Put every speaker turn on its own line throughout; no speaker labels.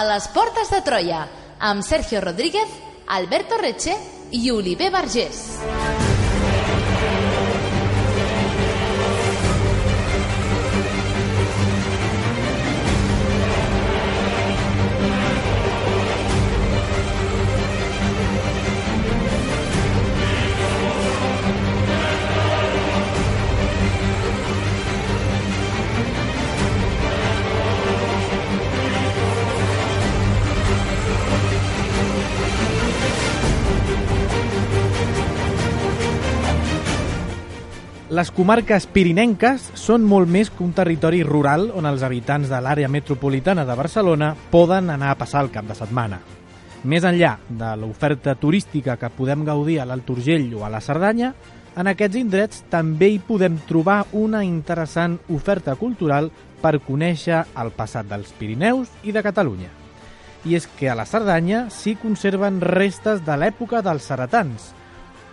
les Portes de Troia, amb Sergio Rodríguez, Alberto Reche i Oliver Vergés.
Les comarques pirinenques són molt més que un territori rural on els habitants de l'àrea metropolitana de Barcelona poden anar a passar el cap de setmana. Més enllà de l'oferta turística que podem gaudir a l'Alt Urgell o a la Cerdanya, en aquests indrets també hi podem trobar una interessant oferta cultural per conèixer el passat dels Pirineus i de Catalunya. I és que a la Cerdanya s'hi conserven restes de l'època dels ceretans,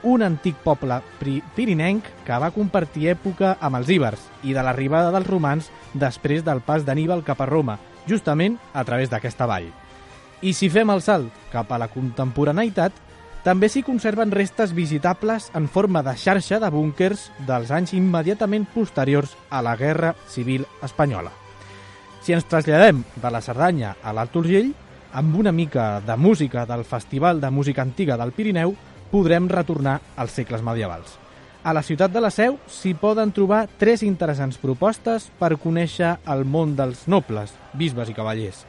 un antic poble pirinenc que va compartir època amb els íbers i de l'arribada dels romans després del pas d'Anníbal cap a Roma, justament a través d'aquesta vall. I si fem el salt cap a la contemporaneïtat, també s'hi conserven restes visitables en forma de xarxa de búnquers dels anys immediatament posteriors a la Guerra Civil Espanyola. Si ens traslladem de la Cerdanya a l'Alt Urgell, amb una mica de música del Festival de Música Antiga del Pirineu, podrem retornar als segles medievals. A la ciutat de la Seu s'hi poden trobar 3 interessants propostes per conèixer el món dels nobles, bisbes i cavallers.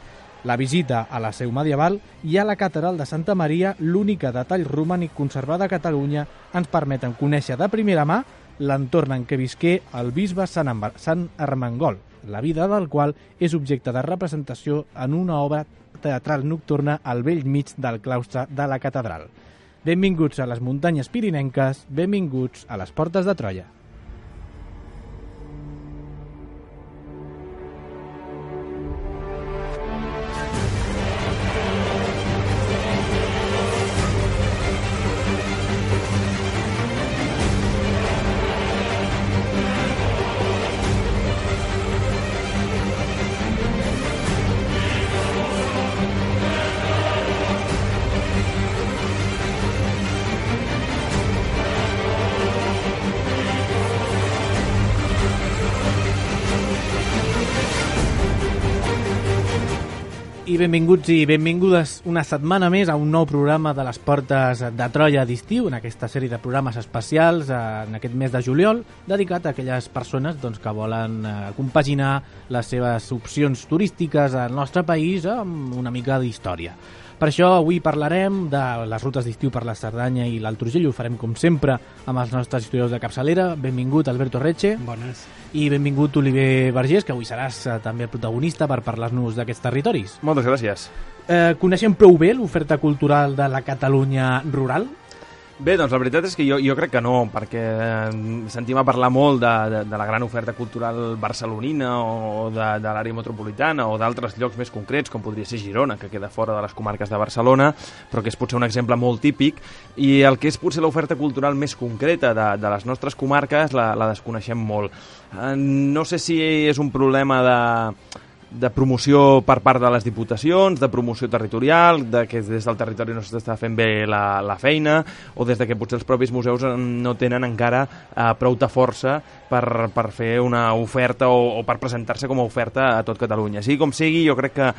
La visita a la Seu medieval i a la catedral de Santa Maria, l'única detall romànic conservat a Catalunya, ens permeten conèixer de primera mà l'entorn en què visqué el bisbe Sant Ermengol, la vida del qual és objecte de representació en una obra teatral nocturna al bell mig del claustre de la catedral. Benvinguts a les muntanyes pirinenques, benvinguts a les Portes de Troia. I benvinguts i benvingudes una setmana més a un nou programa de les Portes de Troia d'estiu, en aquesta sèrie de programes especials en aquest mes de juliol, dedicat a aquelles persones que volen compaginar les seves opcions turístiques al nostre país amb una mica d'història. Per això avui parlarem de les rutes d'estiu per la Cerdanya i l'Alt Urgell. Ho farem com sempre amb els nostres historiadors de capçalera. Benvingut Alberto Reche.
Bones.
I benvingut Oliver Vergés, que avui seràs també el protagonista per parlar-nos d'aquests territoris.
Moltes gràcies.
Coneixem prou bé l'oferta cultural de la Catalunya rural?
Bé, doncs la veritat és que jo crec que no, perquè sentim a parlar molt de la gran oferta cultural barcelonina o de l'àrea metropolitana o d'altres llocs més concrets, com podria ser Girona, que queda fora de les comarques de Barcelona, però que és potser un exemple molt típic, i el que és potser l'oferta cultural més concreta de les nostres comarques la desconeixem molt. No sé si és un problema de promoció per part de les diputacions, de promoció territorial, de que des del territori no s'està fent bé la feina, o des de que potser els propis museus no tenen encara prou-ta força per fer una oferta o per presentar-se com a oferta a tot Catalunya. Sigui com sigui, jo crec que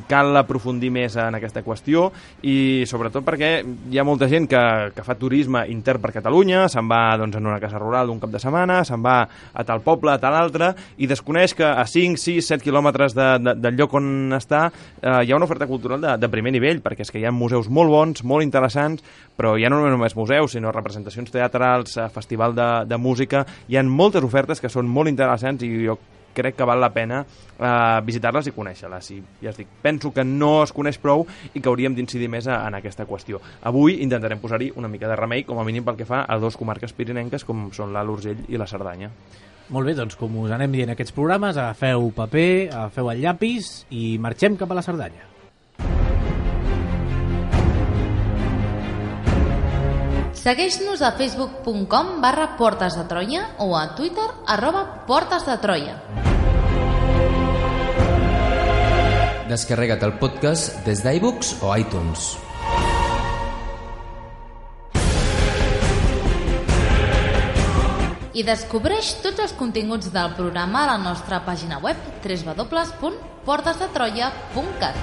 cal aprofundir més en aquesta qüestió, i sobretot perquè hi ha molta gent que fa turisme intern per Catalunya, se'n va en una casa rural d'un cap de setmana, se'n va a tal poble, a tal altre, i desconeix que a 5, 6, 7 quilòmetres del lloc on està hi ha una oferta cultural de primer nivell, perquè és que hi ha museus molt bons, molt interessants, però ja no només museus, sinó representacions teatrals, festival de música. Hi ha moltes ofertes que són molt interessants i jo crec que val la pena visitar-les i conèixer-les. I ja es dic, penso que no es coneix prou i que hauríem d'incidir més en aquesta qüestió. Avui intentarem posar-hi una mica de remei, com a mínim pel que fa a 2 comarques pirinenques com són l'Alt Urgell i la Cerdanya.
Molt bé, doncs com us anem dient aquests programes, agafeu paper, agafeu el llapis i marxem cap a la Cerdanya.
Segueix-nos a facebook.com/Portes de Troia o a Twitter @Portes de Troia.
Descarrega't el podcast des d'iVoox o iTunes.
I descobreix tots els continguts del programa a la nostra pàgina web www.portasdetroia.cat.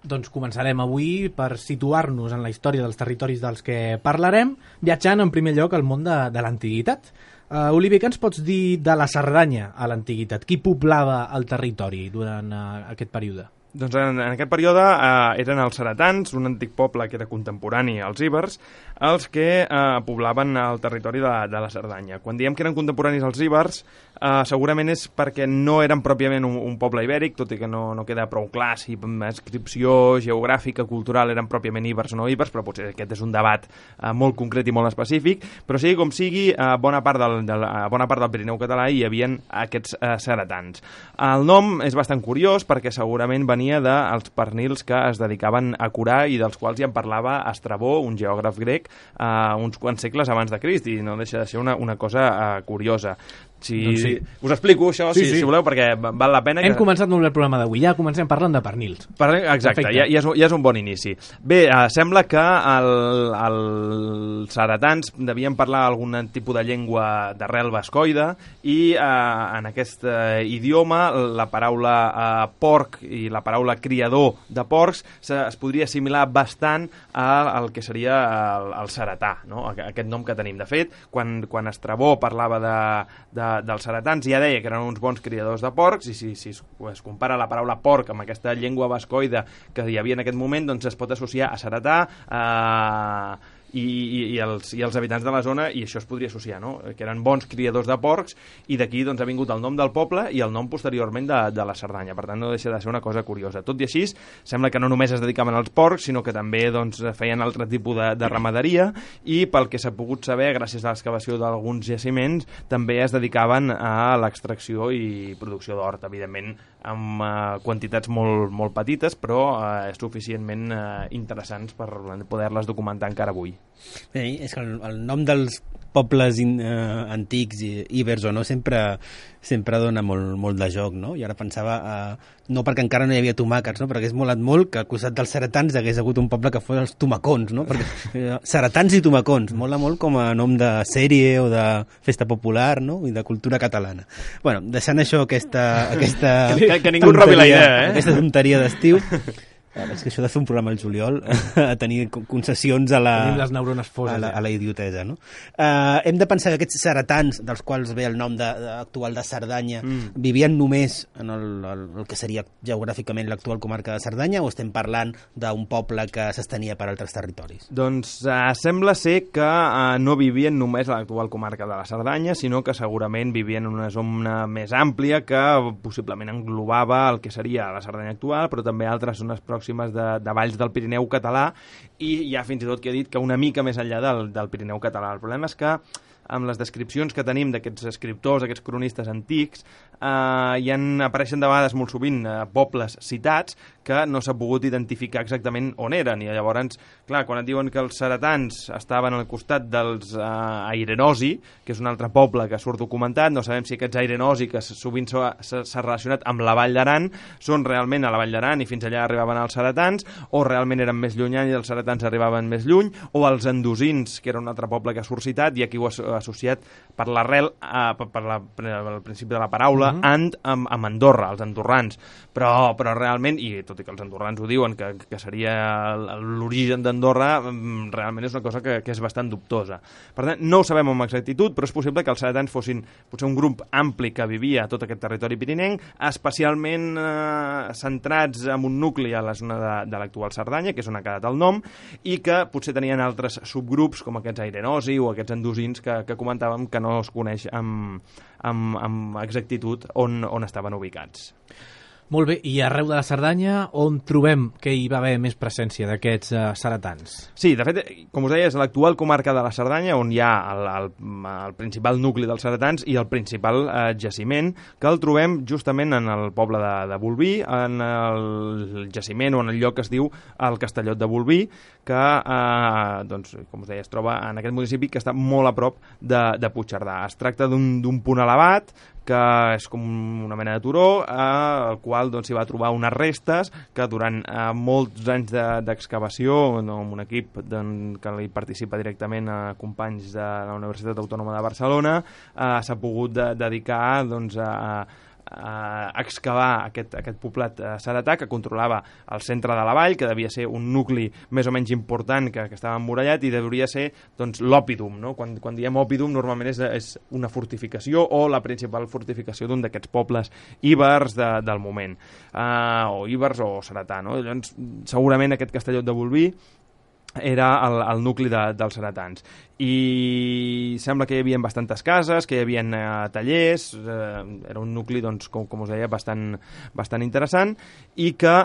Doncs començarem avui per situar-nos en la història dels territoris dels que parlarem, viatjant en primer lloc al món de l'antiguitat. Oliver, què ens pots dir de la Cerdanya a l'antiguitat? Qui poblava el territori durant aquest període?
Doncs en aquest període eren els ceretans, un antic poble que era contemporani als íbers, els que poblaven el territori de la Cerdanya. Quan diem que eren contemporanis als íbers, segurament és perquè no eren pròpiament un poble ibèric, tot i que no queda prou clar si inscripció geogràfica, cultural, eren pròpiament íbers o no íbers, però potser aquest és un debat molt concret i molt específic, però sigui com sigui, a bona part del Pirineu català hi havia aquests ceretans. El nom és bastant curiós perquè segurament venia dels pernils que es dedicaven a curar i dels quals ja en parlava Estrabó, un geògraf grec, uns quants segles abans de Crist, i no deixa de ser una cosa curiosa. Doncs sí. Us explico això, sí. Si voleu, perquè val la pena.
Hem començat molt bé el programa d'avui, ja comencem parlant de pernils.
Exacte, ja és un bon inici. Bé, sembla que els ceretans devien parlar algun tipus de llengua d'arrel bascoide i en aquest idioma la paraula porc i la paraula criador de porcs es podria assimilar bastant al que seria el ceretà, no? Aquest nom que tenim. De fet, quan Estrabó parlava dels ceretans ja deia que eren uns bons criadors de porcs, i si es compara la paraula porc amb aquesta llengua bascoide que hi havia en aquest moment, doncs es pot associar a ceretà, i els habitants de la zona, i això es podria associar, no? Que eren bons criadors de porcs, i d'aquí doncs, ha vingut el nom del poble i el nom posteriorment de la Cerdanya. Per tant, no deixa de ser una cosa curiosa. Tot i així, sembla que no només es dedicaven als porcs, sinó que també doncs, feien altre tipus de ramaderia, i pel que s'ha pogut saber, gràcies a l'excavació d'alguns jaciments, també es dedicaven a l'extracció i producció d'hort, evidentment amb quantitats molt, molt petites, però suficientment interessants per poder-les documentar encara avui.
Bé, és que el nom dels pobles antics, íbers o no, sempre dona molt de joc, no? I ara pensava, no perquè encara no hi havia tomàquets, no? Perquè hagués molat molt que al costat dels ceretans hagués hagut un poble que fos els tomacons, no? Perquè ceretans i tomacons, mola molt com a nom de sèrie o de festa popular, no? I de cultura catalana. Bueno, deixant això, aquesta
que ningú robi la idea,
aquesta tonteria d'estiu. És que això de fer un programa al juliol a tenir concessions a
les neurones foses,
a la idiotesa, no? Hem de pensar que aquests ceretans, dels quals ve el nom actual de Cerdanya, vivien només en el que seria geogràficament l'actual comarca de Cerdanya, o estem parlant d'un poble que s'estenia per altres territoris?
Doncs sembla ser que no vivien només a l'actual comarca de la Cerdanya, sinó que segurament vivien en una zona més àmplia que possiblement englobava el que seria la Cerdanya actual, però també altres zones pròximes de valls del Pirineu català, i hi ha fins i tot que ha dit que una mica més enllà del Pirineu català. El problema és que amb les descripcions que tenim d'aquests escriptors, aquests cronistes antics, apareixen de vegades molt sovint pobles citats que no s'ha pogut identificar exactament on eren, i llavors, clar, quan et diuen que els ceretans estaven al costat dels Airenosi, que és un altre poble que surt documentat, no sabem si aquests Airenosi, que sovint s'ha relacionat amb la Vall d'Aran, són realment a la Vall d'Aran i fins allà arribaven els ceretans, o realment eren més llunyans i els ceretans arribaven més lluny, o els andosins, que era un altre poble que surt citat, i aquí ho ha associat per l'arrel, al principi de la paraula, amb Andorra, els andorrans, però realment, i tot i que els andorrans ho diuen, que seria l'origen d'Andorra, realment és una cosa que és bastant dubtosa. Per tant, no ho sabem amb exactitud, però és possible que els ceretans fossin potser un grup ampli que vivia a tot aquest territori pirinenc, especialment centrats en un nucli a la zona de l'actual Cerdanya, que és on ha quedat el nom, i que potser tenien altres subgrups, com aquests airenosi o aquests andosins que comentàvem, que no es coneix amb exactitud on estaven ubicats.
Molt bé, i arreu de la Cerdanya on trobem que hi va haver més presència d'aquests ceretans?
Sí, de fet, com us deia, és l'actual comarca de la Cerdanya on hi ha el principal nucli dels ceretans i el principal jaciment, que el trobem justament en el poble de Bolvir, en el jaciment o en el lloc que es diu el Castellot de Bolvir, que, doncs, com us deia, es troba en aquest municipi que està molt a prop de Puigcerdà. Es tracta d'un punt elevat, que és com una mena de turó, al qual s'hi va trobar unes restes que durant molts anys d'excavació, amb un equip que hi participa directament a companys de la Universitat Autònoma de Barcelona, s'ha pogut dedicar a excavar aquest poblat ceretà que controlava el centre de la vall, que devia ser un nucli més o menys important que estava emmurallat i devia ser l'òpidum, no? Quan diem òpidum normalment és una fortificació o la principal fortificació d'un d'aquests pobles íbers del moment, o íbers o ceretà, no? Llavors, segurament aquest Castellot de Bolvir era el nucli dels ceretans, i sembla que hi havia bastantes cases, que hi havia tallers, era un nucli, com us deia, bastant interessant, i que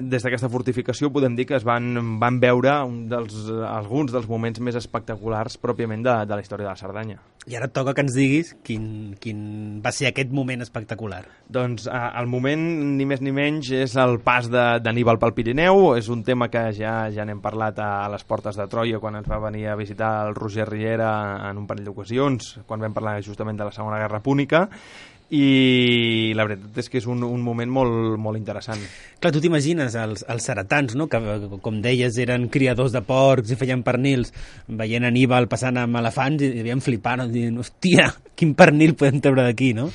des d'aquesta fortificació podem dir que es van veure alguns dels moments més espectaculars pròpiament de la història de la Cerdanya.
I ara et toca que ens diguis quin va ser aquest moment espectacular.
Doncs el moment, ni més ni menys, és el pas d'Anníbal pel Pirineu. És un tema que ja n'hem parlat a les portes de Troia, quan ens va venir a visitar el Roger Riera en un parell d'ocasions, quan vam parlar justament de la Segona Guerra Púnica, i la veritat és que és un moment molt, molt interessant.
Clar, tu t'imagines els ceretans, no? Que, com deies, eren criadors de porcs i feien pernils, veient Aníbal passant amb elefants i devien flipar, no? Dient, hòstia, quin pernil podem treure d'aquí, no?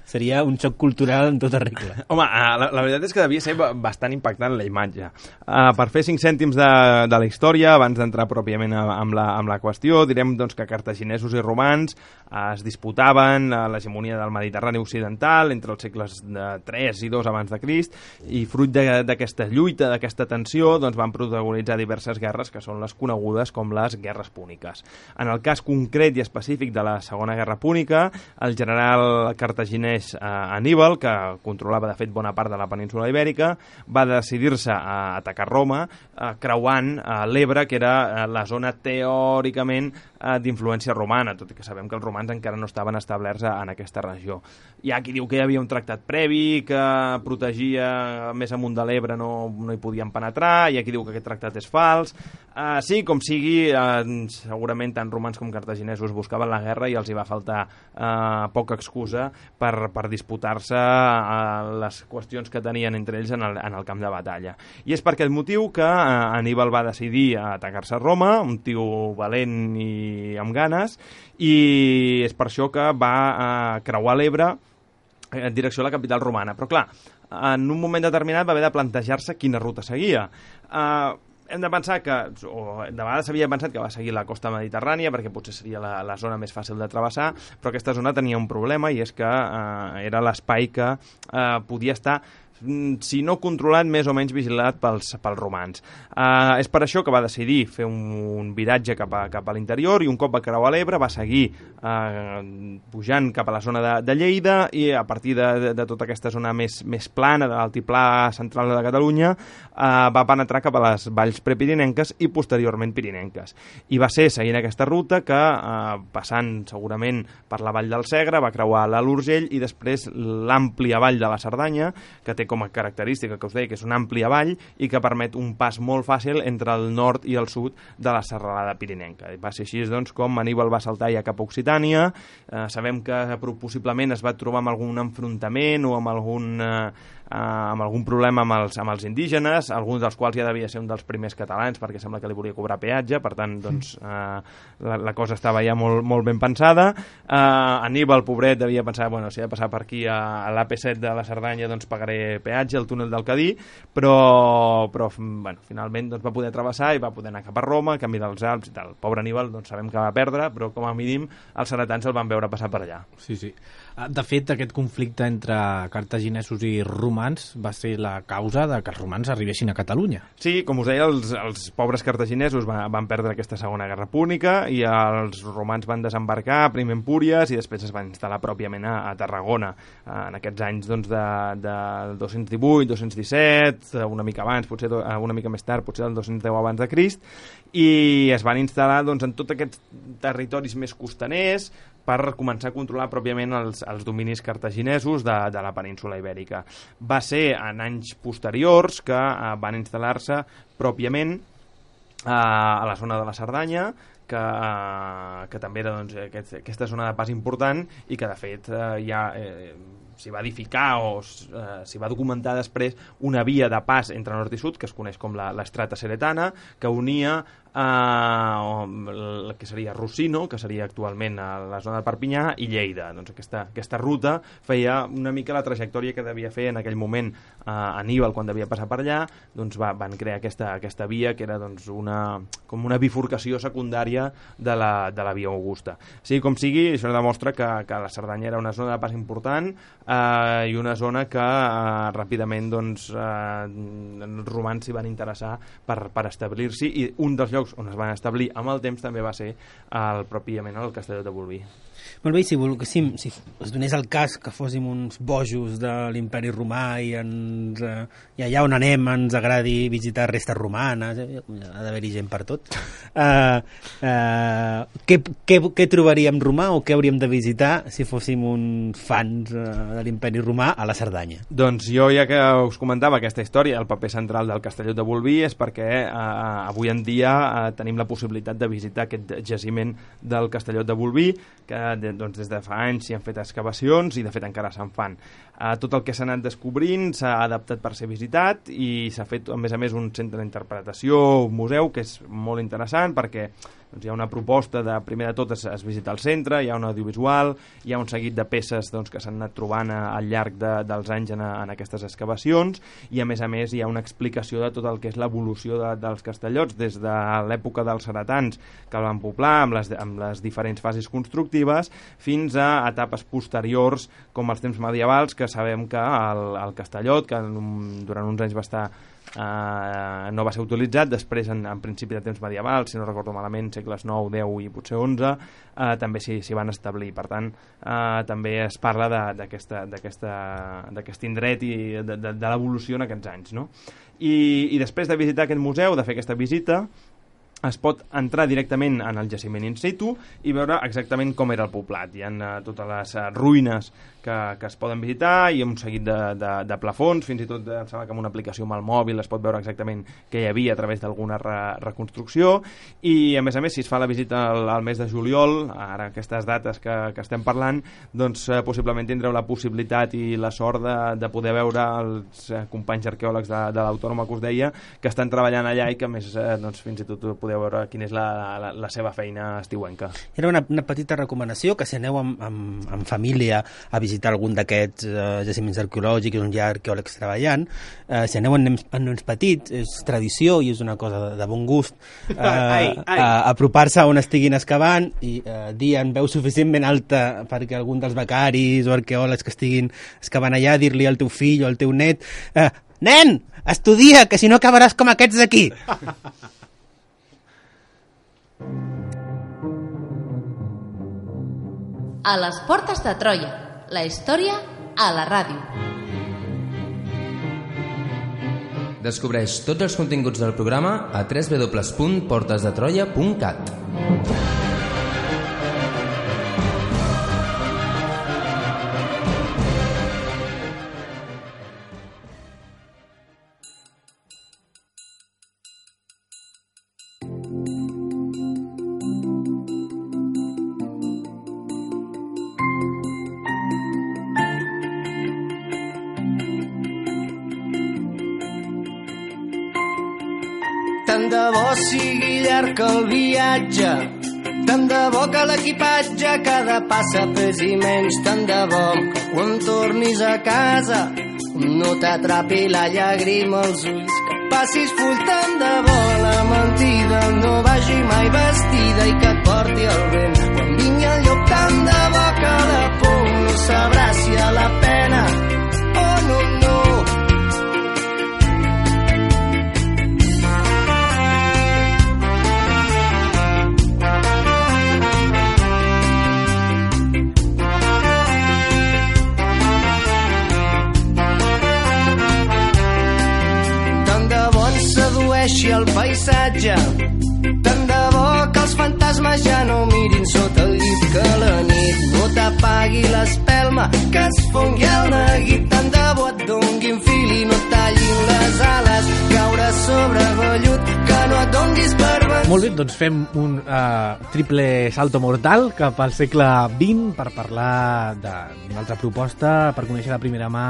Seria un xoc cultural en tota regla.
Home, la veritat és que devia ser bastant impactant la imatge. Per fer 5 cèntims de la història, abans d'entrar pròpiament amb la qüestió, direm que cartaginesos i romans es disputaven l'hegemonia del Mediterrani occidental entre els segles 3 i 2 abans de Crist, i fruit d'aquesta lluita, d'aquesta tensió, van protagonitzar diverses guerres que són les conegudes com les guerres púniques. En el cas concret i específic de la Segona Guerra Púnica, el general cartaginès Aníbal, que controlava de fet bona part de la península Ibèrica, va decidir-se a atacar Roma, creuant l'Ebre, que era la zona teòricament d'influència romana, tot i que sabem que els romans encara no estaven establerts en aquesta regió. Hi ha qui diu que hi havia un tractat previ que protegia més amunt de l'Ebre, no hi podien penetrar, hi ha qui diu que aquest tractat és fals. Sí, com sigui, segurament tant romans com cartaginesos buscaven la guerra i els hi va faltar poca excusa per disputar-se les qüestions que tenien entre ells en el camp de batalla. I és per aquest motiu que Aníbal va decidir atacar-se a Roma, un tio valent i amb ganes, i és per això que va creuar l'Ebre en direcció a la capital romana. Però clar, en un moment determinat va haver de plantejar-se quina ruta seguia. Hem de pensar que, o de vegades s'havia pensat que va seguir la costa mediterrània perquè potser seria la zona més fàcil de travessar, però aquesta zona tenia un problema, i és que era l'espai que podia estar, si no controlat, més o menys vigilat pels romans. És per això que va decidir fer un viratge cap a l'interior, i un cop va creuar l'Ebre va seguir pujant cap a la zona de Lleida, i a partir de tota aquesta zona més plana, de l'altiplà central de Catalunya, va penetrar cap a les valls prepirinenques i posteriorment pirinenques. I va ser seguint aquesta ruta que, passant segurament per la vall del Segre, va creuar l'Alt Urgell i després l'àmplia vall de la Cerdanya, que té com a característica, que us deia, que és una àmplia vall i que permet un pas molt fàcil entre el nord i el sud de la serralada pirinenca. I va ser així com Aníbal va saltar ja cap a Occitània. Sabem que possiblement es va trobar amb algun enfrontament o amb algun problema amb els indígenes, alguns dels quals ja devia ser un dels primers catalans, perquè sembla que li volia cobrar peatge, per tant, la cosa estava ja molt, molt ben pensada. Aníbal, pobret, devia pensar, bueno, si he de passar per aquí a l'AP7 de la Cerdanya, doncs pagaré peatge, el túnel del Cadí, però bueno, finalment va poder travessar i va poder anar cap a Roma, camí dels Alps i tal. Pobre Aníbal, doncs sabem que va perdre, però com a mínim els ceretans el van veure passar per allà.
Sí. De fet, aquest conflicte entre cartaginesos i romans va ser la causa de que els romans arribessin a Catalunya.
Sí, com us deia, els pobres cartaginesos van perdre aquesta segona guerra púnica i els romans van desembarcar primer en Púries i després es van instal·lar pròpiament a Tarragona en aquests anys doncs, del 218, 217, una mica abans, potser una mica més tard, potser del 210 abans de Crist, i es van instal·lar doncs, en tots aquests territoris més costaners per començar a controlar pròpiament els dominis cartaginesos de la península Ibèrica. Va ser en anys posteriors que van instal·lar-se pròpiament a la zona de la Cerdanya, que també era doncs, aquesta zona de pas important i que de fet ja s'hi va edificar o s'hi va documentar després una via de pas entre nord i sud que es coneix com l'Estrata Ceretana, que unia el que seria Rossino, que seria actualment a la zona de Perpinyà, i Lleida. Doncs aquesta ruta feia una mica la trajectòria que devia fer en aquell moment Aníbal quan devia passar per allà, doncs van crear aquesta via que era doncs, com una bifurcació secundària de la via Augusta. Sigui com sigui, això demostra que la Cerdanya era una zona de pas important i una zona que ràpidament doncs, els romans s'hi van interessar per establir-s'hi, i un dels llocs on es van establir amb el temps també va ser pròpiament el Castelló de Bolvir.
Molt bé, si volguéssim, si es donés el cas que fóssim uns bojos de l'imperi romà i allà on anem ens agradi visitar restes romanes, ha d'haver-hi gent per tot, què trobaríem romà o què hauríem de visitar si fóssim uns fans de l'imperi romà a la Cerdanya?
Doncs jo, ja que us comentava aquesta història, el paper central del Castelló de Bolvir és perquè avui en dia tenim la possibilitat de visitar aquest jaciment del Castelló de Bolvir, que doncs, des de fa anys s'hi han fet excavacions i de fet encara se'n fan. Tot el que s'ha anat descobrint s'ha adaptat per ser visitat i s'ha fet a més un centre d'interpretació, un museu, que és molt interessant perquè doncs, hi ha una proposta de, primer de tot, es visita el centre, hi ha un audiovisual, hi ha un seguit de peces doncs, que s'han anat trobant al llarg dels anys en aquestes excavacions, i a més hi ha una explicació de tot el que és l'evolució dels castellots des de l'època dels ceretans que el van poblar amb les diferents fases constructives fins a etapes posteriors com els temps medievals, que sabem que el Castellot, que durant uns anys va estar no va ser utilitzat, després en principi de temps medievals, si no recordo malament, segles 9, 10 i potser 11, també s'hi van establir. Per tant, també es parla d'aquest indret i de l'evolució en aquests anys, no? I després de visitar aquest museu, de fer aquesta visita, es pot entrar directament en el jaciment in situ i veure exactament com era el poblat. Hi ha totes les ruïnes que es poden visitar i un seguit de plafons, fins i tot em sembla que amb una aplicació amb el mòbil es pot veure exactament què hi havia a través d'alguna reconstrucció, i a més si es fa la visita al mes de juliol, ara aquestes dates que estem parlant, doncs possiblement tindreu la possibilitat i la sort de poder veure els companys arqueòlegs de l'Autònoma que us deia, que estan treballant allà i que a més doncs, fins i tot podeu veure quina és la seva feina estiuenca. Era
una petita recomanació, que si aneu amb família a visitar algun d'aquests jaciments arqueològics on hi ha arqueòlegs treballant, si aneu amb nens petits, és tradició i és una cosa de bon gust apropar-se on estiguin excavant i dir en veu suficientment alta perquè algun dels becaris o arqueòlegs que estiguin excavant allà, dir-li al teu fill o al teu net: nen, estudia, que si no acabaràs com aquests d'aquí.
A les portes de Troia, la història a la ràdio.
Descobreix tots els continguts del programa a www.portesdetroia.cat.
Tant de bo sigui llarg el viatge, tant de bo que l'equipatge cada passa pesi menys, tant de bo que quan tornis a casa no t'atrapi la llàgrima als ulls, que passis full, tant de bo la mentida no vagi mai vestida i que et porti el vent quan vingui el llop, tant de bo que la por no sabrà s'afavoreixi el paisatge. Tant de bo que els fantasmes ja no mirin sota el llit, que la nit no t'apagui l'espelma, que es fongui el neguit. Tant de bo et donguin fil i no tallin les ales, caure sobre vellut, que no et donguis per vençut.
Molt bé, doncs fem un triple salto mortal cap al segle XX per parlar d'una altra proposta, per conèixer de primera mà,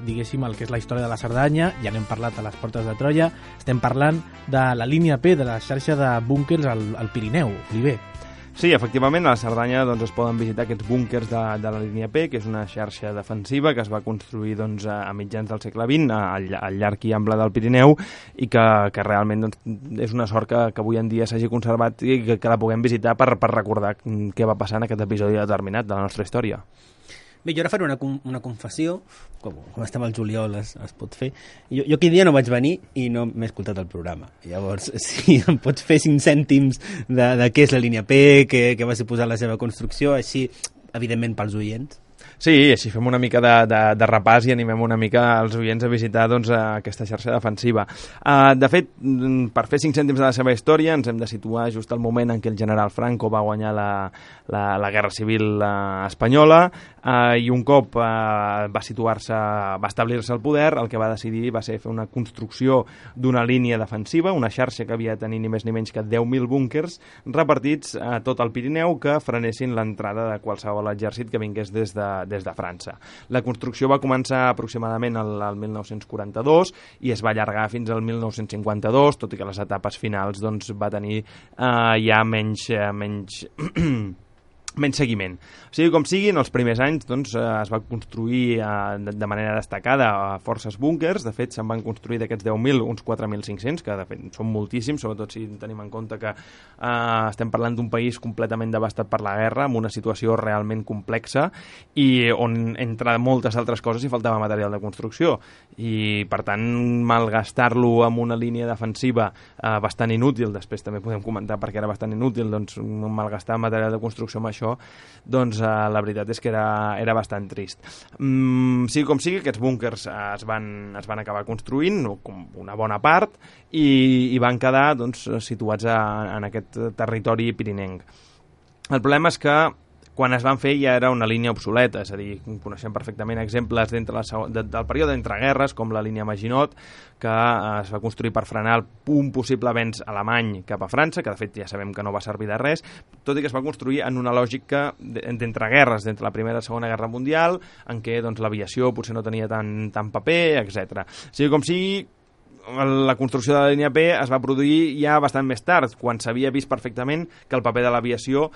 diguéssim, el que és la història de la Cerdanya. Ja n'hem parlat a les portes de Troia. Estem parlant de la línia P, de la xarxa de búnquers al Pirineu. Oliver.
Sí, efectivament, a la Cerdanya es poden visitar aquests búnquers de la línia P, que és una xarxa defensiva que es va construir a mitjans del segle XX al llarg i ample del Pirineu i que realment és una sort que avui en dia s'hagi conservat i que la puguem visitar per recordar què va passar en aquest episodi determinat de la nostra història.
Bé, jo ara faré una confessió, com estem al juliol es pot fer. Jo aquell dia no vaig venir i no m'he escoltat el programa. Llavors, si em pots fer 5 cèntims de què és la línia P, què va suposar la seva construcció, així, evidentment, pels oients.
Sí, així fem una mica de repàs i animem una mica els oients a visitar aquesta xarxa defensiva. De fet, per fer 5 cèntims de la seva història ens hem de situar just al moment en què el general Franco va guanyar la Guerra Civil espanyola i un cop va establir-se al poder, el que va decidir va ser fer una construcció d'una línia defensiva, una xarxa que havia de tenir ni més ni menys que 10.000 búnquers repartits a tot el Pirineu que frenessin l'entrada de qualsevol exèrcit que vingués des de França. La construcció va començar aproximadament al 1942 i es va allargar fins al 1952, tot i que les etapes finals va tenir ja menys seguiment. Sigui com sigui, en els primers anys es va construir de manera destacada forces búnquers. De fet, se'n van construir d'aquests 10.000 uns 4.500, que de fet són moltíssims, sobretot si tenim en compte que estem parlant d'un país completament devastat per la guerra, amb una situació realment complexa i on, entre moltes altres coses, hi faltava material de construcció. I, per tant, malgastar-lo amb una línia defensiva bastant inútil, després també podem comentar per què era bastant inútil, malgastar material de construcció amb això, la veritat és que era bastant trist. Sigui com sigui, aquests búnquers es van acabar construint, una bona part, i van quedar situats en aquest territori pirinenc. El problema és que quan es van fer ja era una línia obsoleta, és a dir, coneixem perfectament exemples del període d'entreguerres, com la línia Maginot, que es va construir per frenar un possible avenç alemany cap a França, que de fet ja sabem que no va servir de res, tot i que es va construir en una lògica d'entreguerres, d'entre la Primera i la Segona Guerra Mundial, en què l'aviació potser no tenia tant paper, etc. Sigui com sigui, la construcció de la línia P es va produir ja bastant més tard, quan s'havia vist perfectament que el paper de l'aviació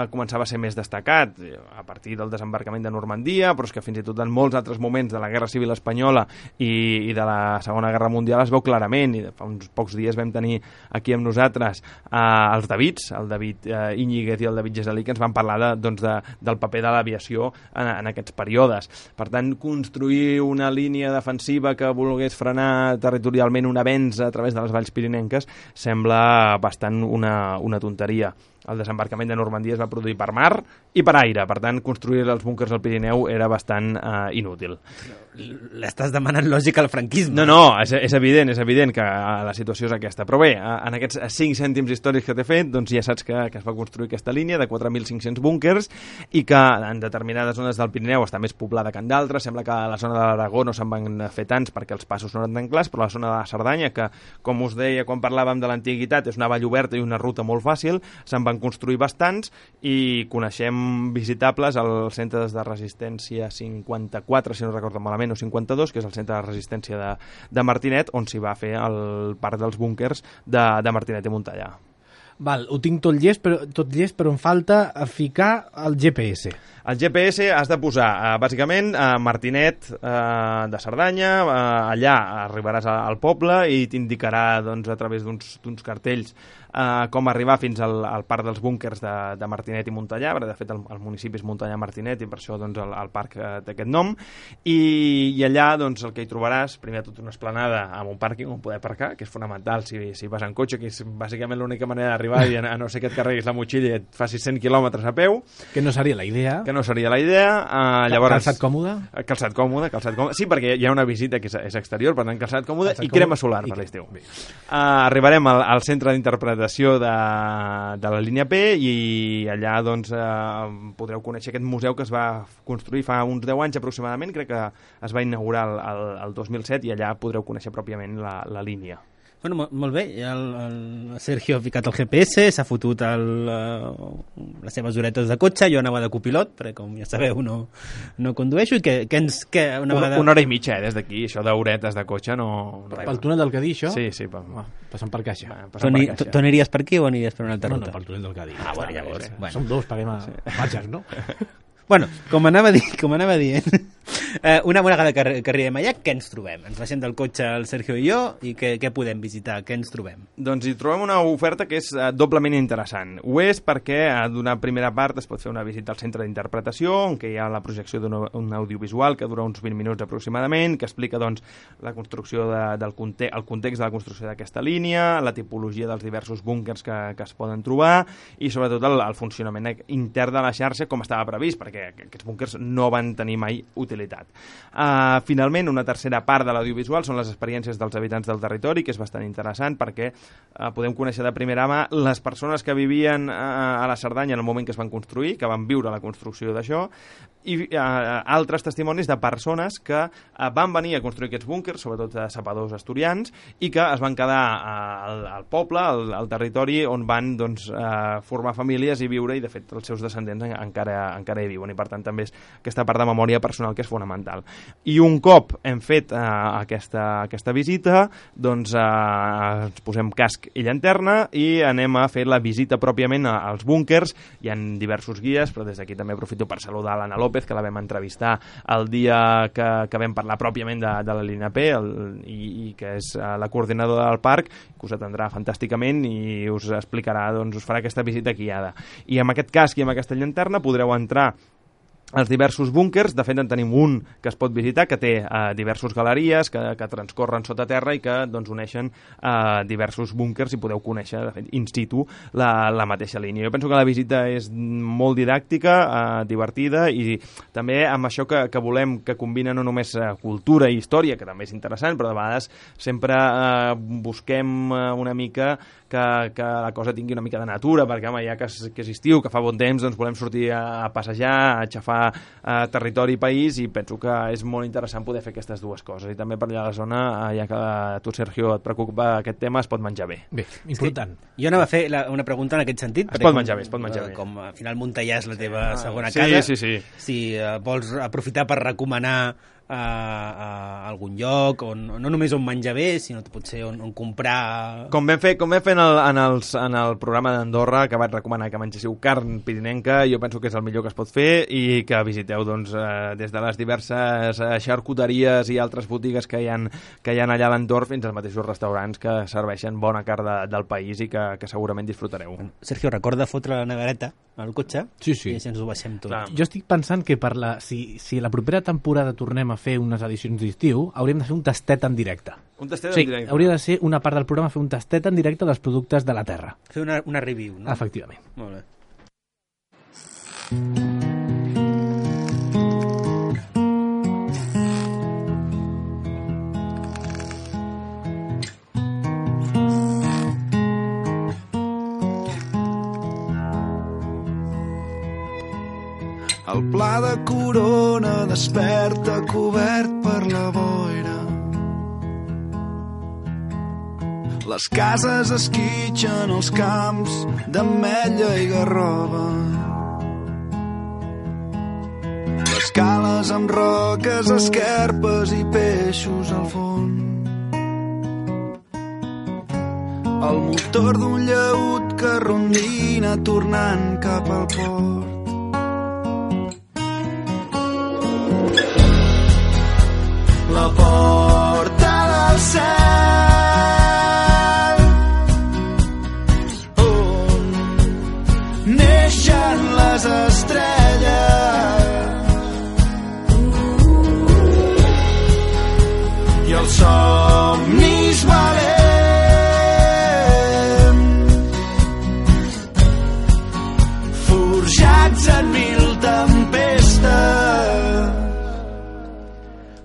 començava a ser més destacat, a partir del desembarcament de Normandia, però és que fins i tot en molts altres moments de la Guerra Civil Espanyola i de la Segona Guerra Mundial es veu clarament, i fa uns pocs dies vam tenir aquí amb nosaltres els Davids, el David Íñiguez i el David Gesalí, que ens van parlar del paper de l'aviació en aquests períodes. Per tant, construir una línia defensiva que volgués frenar territorialment un avenç a través de les valls pirinenques sembla bastant una tonteria. El desembarcament de Normandia es va produir per mar i per aire, per tant, construir els búnquers al Pirineu era bastant inútil.
L'estàs demanant lògica al franquisme.
No, és evident que la situació és aquesta. Però bé, en aquests 5 cèntims històrics que t'he fet, ja saps que es va construir aquesta línia de 4.500 búnquers i que en determinades zones del Pirineu està més poblada que en d'altres. Sembla que a la zona de l'Aragó no se'n van fer tants perquè els passos no eren tan clars, però la zona de la Cerdanya, que, com us deia quan parlàvem de l'antiguitat, és una vall oberta i una ruta molt fàcil, se'n van construir bastants i coneixem visitables al centre de resistència 54, si no recordo malament, o 52, que és el centre de resistència de Martinet, on s'hi va fer el parc dels búnquers de Martinet i Montellà.
Val, ho tinc tot llest, però em falta ficar el GPS.
El GPS has de posar, bàsicament, Martinet de Cerdanya, allà arribaràs al poble i t'indicarà a través d'uns cartells com arribar fins al parc dels búnquers de Martinet i Montellà. De fet, el municipi és Montellà-Martinet i per això el parc té aquest nom. I allà el que hi trobaràs, primer de tot una esplanada amb un pàrquing on poder aparcar, que és fonamental si vas en cotxe, que és bàsicament l'única manera d'arribar arribar i a no ser que et carreguis la motxilla i et facis 100 quilòmetres a peu.
Que no seria la idea.
Que no seria la idea. Llavors,
calçat còmode?
Calçat còmode. Sí, perquè hi ha una visita que és exterior, per tant, calçat còmode i crema solar per l'estiu. Arribarem al centre d'interpretació de la línia P i allà doncs, podreu conèixer aquest museu que es va construir fa uns 10 anys aproximadament, crec que es va inaugurar el 2007 i allà podreu conèixer pròpiament la línia.
Bueno, molt bé, el Sergio ha ficat el GPS, s'ha fotut les seves horetes de cotxe, jo anava de copilot, perquè com ja sabeu no condueixo, i que una vegada...
Una hora i mitja, des d'aquí, això d'horetes de cotxe no...
Pel túnel del Cadí, això?
Sí.
Passant per caixa.
Tu aniries per aquí o aniries per una altra ruta?
No, pel túnel del Cadí.
Bueno, llavors...
Som dos, paguem a patxes, no?
Bueno, com anava dient, una vegada que arribem allà, què ens trobem? Ens baixem del cotxe el Sergio i jo i què podem visitar? Què ens trobem?
Doncs hi trobem una oferta que és doblement interessant. Ho és perquè d'una primera part es pot fer una visita al centre d'interpretació, on hi ha la projecció d'un audiovisual que dura uns 20 minuts aproximadament, que explica doncs, la construcció el context de la construcció d'aquesta línia, la tipologia dels diversos búnquers que es poden trobar i sobretot el funcionament intern de la xarxa com estava previst, perquè aquests búnkers no van tenir mai utilitat. Finalment, una tercera part de l'audiovisual són les experiències dels habitants del territori, que és bastant interessant perquè podem conèixer de primera mà les persones que vivien a la Cerdanya en el moment que es van construir, que van viure la construcció d'això, i altres testimonis de persones que van venir a construir aquests búnkers, sobretot sapadors asturians, i que es van quedar al poble, al territori, on van doncs, formar famílies i viure, i de fet els seus descendents encara hi viuen, i per tant també és aquesta part de memòria personal que és fonamental. I un cop hem fet aquesta visita, doncs ens posem casc i llanterna i anem a fer la visita pròpiament als búnkers. Hi ha diversos guies, però des d'aquí també aprofito per saludar l'Anna López, que la vam entrevistar el dia que vam parlar pròpiament de la línia P i que és la coordinadora del parc, que us atendrà fantàsticament i us explicarà, doncs us farà aquesta visita guiada. I amb aquest casc i amb aquesta llanterna podreu entrar els diversos búnkers. De fet en tenim un que es pot visitar, que té diversos galeries que transcorren sota terra i que doncs, uneixen diversos búnkers i podeu conèixer de fet, in situ la mateixa línia. Jo penso que la visita és molt didàctica, divertida, i també amb això que volem que combina no només cultura i història, que també és interessant, però de vegades sempre busquem una mica que la cosa tingui una mica de natura, perquè home, ja que és estiu, que fa bon temps, doncs volem sortir a passejar, a xafar territori i país, i penso que és molt interessant poder fer aquestes dues coses. I també per allà a la zona, ja que a tu, Sergio, et preocupa aquest tema, es pot menjar bé.
Bé, important.
Jo anava a fer una pregunta en aquest sentit.
Es pot menjar bé.
Com al final Montellà és la teva segona casa, si vols aprofitar per recomanar a algun lloc, no només on menjar bé, sinó potser on comprar...
Com vam fer en el programa d'Andorra, que vaig recomanar que mengéssiu carn pirinenca, jo penso que és el millor que es pot fer, i que visiteu doncs, des de les diverses xarcuteries i altres botigues que hi ha allà a l'entorn fins als mateixos restaurants que serveixen bona carn del país i que segurament disfrutareu.
Sergio, recorda fotre la nevereta al cotxe?
Sí.
I així ens ho baixem tot.
Clar. Jo estic pensant que si la propera temporada tornem a fer unes edicions d'estiu, hauríem de fer un tastet en directe.
Un tastet en directe?
Sí, hauria de ser una part del programa fer un tastet en directe dels productes de la terra.
Fer una review, no?
Efectivament.
Molt bé.
El pla de Corona desperta cobert per la boira. Les cases esquitxen els camps d'ametlla i garrova. Les cales amb roques, esquerpes i peixos al fons. El motor d'un llaüt que rondina tornant cap al port. La porta del cel on neixen les estrelles i els somnis valents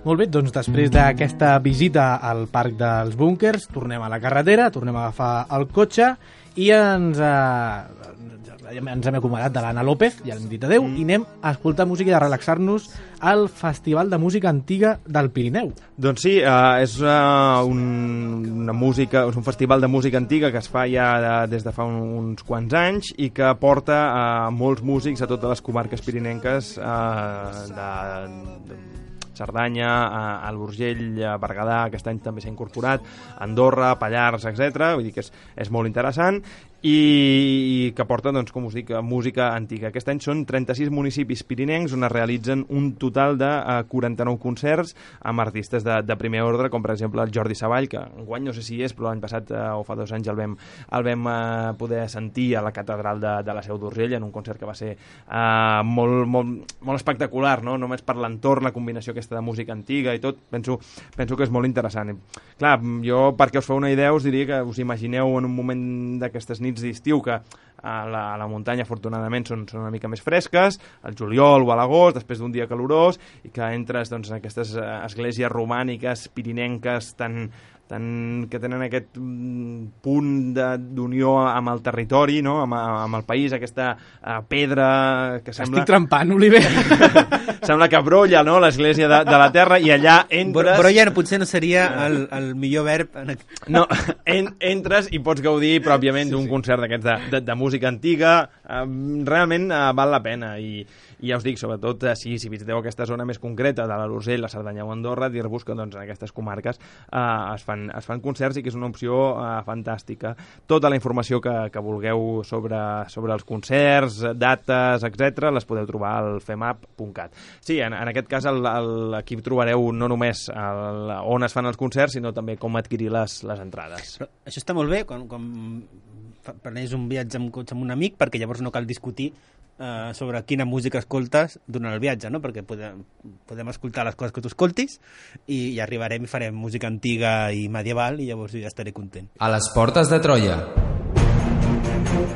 Molt bé, doncs després d'aquesta visita al Parc dels Búnkers, tornem a la carretera, tornem a agafar el cotxe i ens hem acomodat de l'Anna López, ja l'hem dit adeu, i anem a escoltar música i a relaxar-nos al Festival de Música Antiga del Pirineu.
Doncs sí, és un festival de música antiga que es fa ja des de fa uns quants anys i que porta molts músics a totes les comarques pirinenques de Cerdanya, al Urgell, a Berguedà, aquest any també s'ha incorporat, Andorra, Pallars, etc. Vull dir que és molt interessant i que porta, doncs, com us dic, música antiga. Aquest any són 36 municipis pirinencs on es realitzen un total de 49 concerts amb artistes de primer ordre, com per exemple el Jordi Savall, que enguany no sé si és, però l'any passat o fa 2 anys el vam poder sentir a la catedral de la Seu d'Urgell en un concert que va ser molt espectacular, no? Només per l'entorn, la combinació aquesta de música antiga i tot, penso que és molt interessant. Clar, jo, perquè us feu una idea, us diria que us imagineu en un moment d'aquestes nits d'estiu que a la muntanya afortunadament són una mica més fresques, al juliol o a l'agost, després d'un dia calorós, i que entres, doncs, en aquestes esglésies romàniques, pirinenques, que tenen aquest punt d'unió amb el territori, no? amb el país, aquesta pedra que sembla...
Estic trempant, Oliver.
Sembla que brolla, no?, l'església de la terra, i allà entres...
Brolla potser no seria el millor verb.
No, entres i pots gaudir pròpiament d'un concert d'aquests de música antiga. Realment val la pena, i ja us dic, sobretot si visiteu aquesta zona més concreta de l'Urgell, la Cerdanya o Andorra, dir-vos que, doncs, en aquestes comarques es fan concerts i que és una opció fantàstica. Tota la informació que vulgueu sobre els concerts, dates, etc., les podeu trobar al femap.cat. Sí, en aquest cas aquí trobareu no només on es fan els concerts, sinó també com adquirir les entrades.
Però això està molt bé quan planeges un viatge amb cotxe amb un amic, perquè llavors no cal discutir sobre quina música escoltes durant el viatge, no? Perquè podem escoltar les coses que tu escoltis i arribarem i farem música antiga i medieval i llavors ja estaré content.
A les portes de Troia.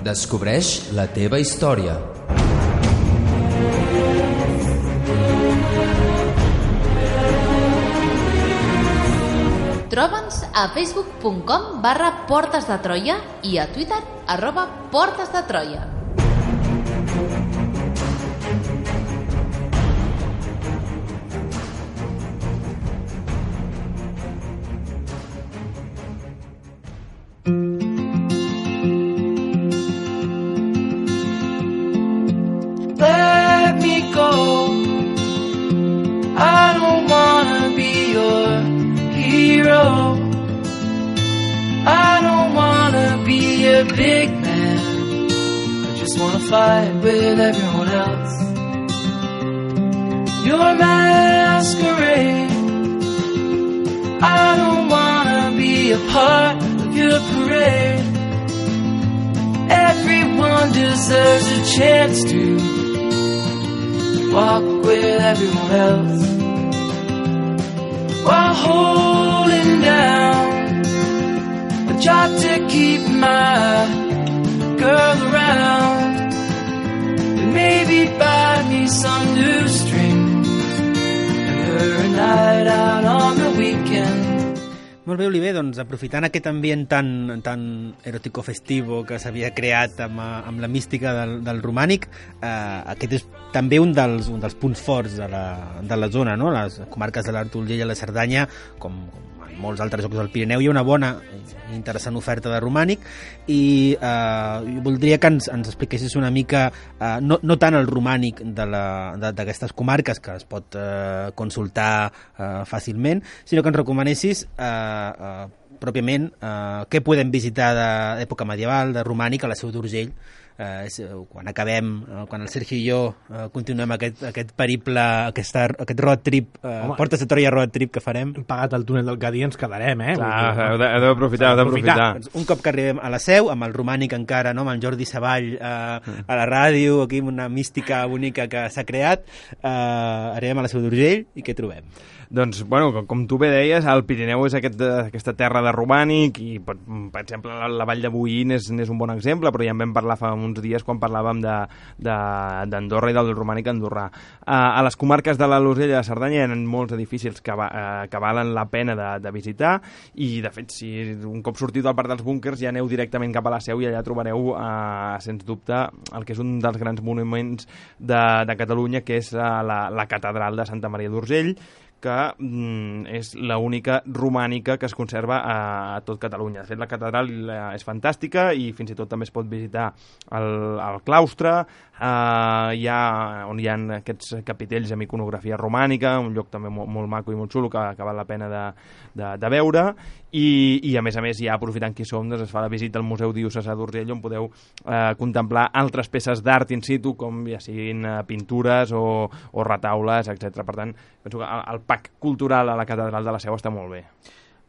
Descobreix la teva història.
Troba'ns a facebook.com/Portes de Troia i a Twitter @Portes de Troia.
Let me go. I don't wanna be your hero. I don't wanna be a big man. I just wanna fight with everyone else. Your masquerade. I don't wanna be a part of your parade. Everyone deserves a chance to walk with everyone else while holding down a job to keep my girl around and maybe buy me some new strings and her a night out on the weekend.
Molt bé, Oliver, doncs aprofitant aquest ambient tan erotico-festivo que s'havia creat amb la mística del romànic, aquest és també un dels punts forts de la zona, no? Les comarques de l'Alt Urgell i la Cerdanya, com en molts altres llocs del Pirineu, hi ha una bona i interessant oferta de romànic i voldria que ens expliquessis una mica, no tant el romànic d'aquestes comarques, que es pot consultar fàcilment, sinó que ens recomanessis pròpiament què podem visitar d'època medieval, de romànic, a la Seu d'Urgell, quan el Sergi i jo continuem aquest periple, aquest road trip, Portes de Troia road trip que farem.
Hem pagat el túnel del Cadí, ens quedarem,
Clar, heu d'aprofitar.
Un cop que arribem a la Seu, amb el romànic encara, no? Amb el Jordi Savall a la ràdio, aquí amb una mística bonica que s'ha creat, arribem a la Seu d'Urgell i què trobem?
Doncs, bueno, com tu bé deies, el Pirineu és aquesta terra de romànic i, per exemple, la Vall de Boí n'és un bon exemple, però ja en vam parlar fa un uns dies quan parlàvem d'Andorra i del romànic andorrà. A les comarques de l'Alt Urgell i de Cerdanya hi ha molts edificis que valen la pena de visitar, i de fet, si un cop sortiu del parc dels búnquers ja aneu directament cap a la Seu i allà trobareu, sens dubte, el que és un dels grans monuments de Catalunya, que és la catedral de Santa Maria d'Urgell, que és l'única romànica que es conserva a tot Catalunya. De fet, la catedral és fantàstica i fins i tot també es pot visitar el claustre, on hi ha aquests capitells amb iconografia romànica, un lloc també molt maco i molt xulo que val la pena de veure, i a més ja aprofitant que hi som, doncs es fa la visita al Museu Diocesà d'Urgell, on podeu contemplar altres peces d'art in situ, com ja siguin pintures o retaules, etc. Per tant, penso que el pack cultural a la catedral de la Seu està molt bé.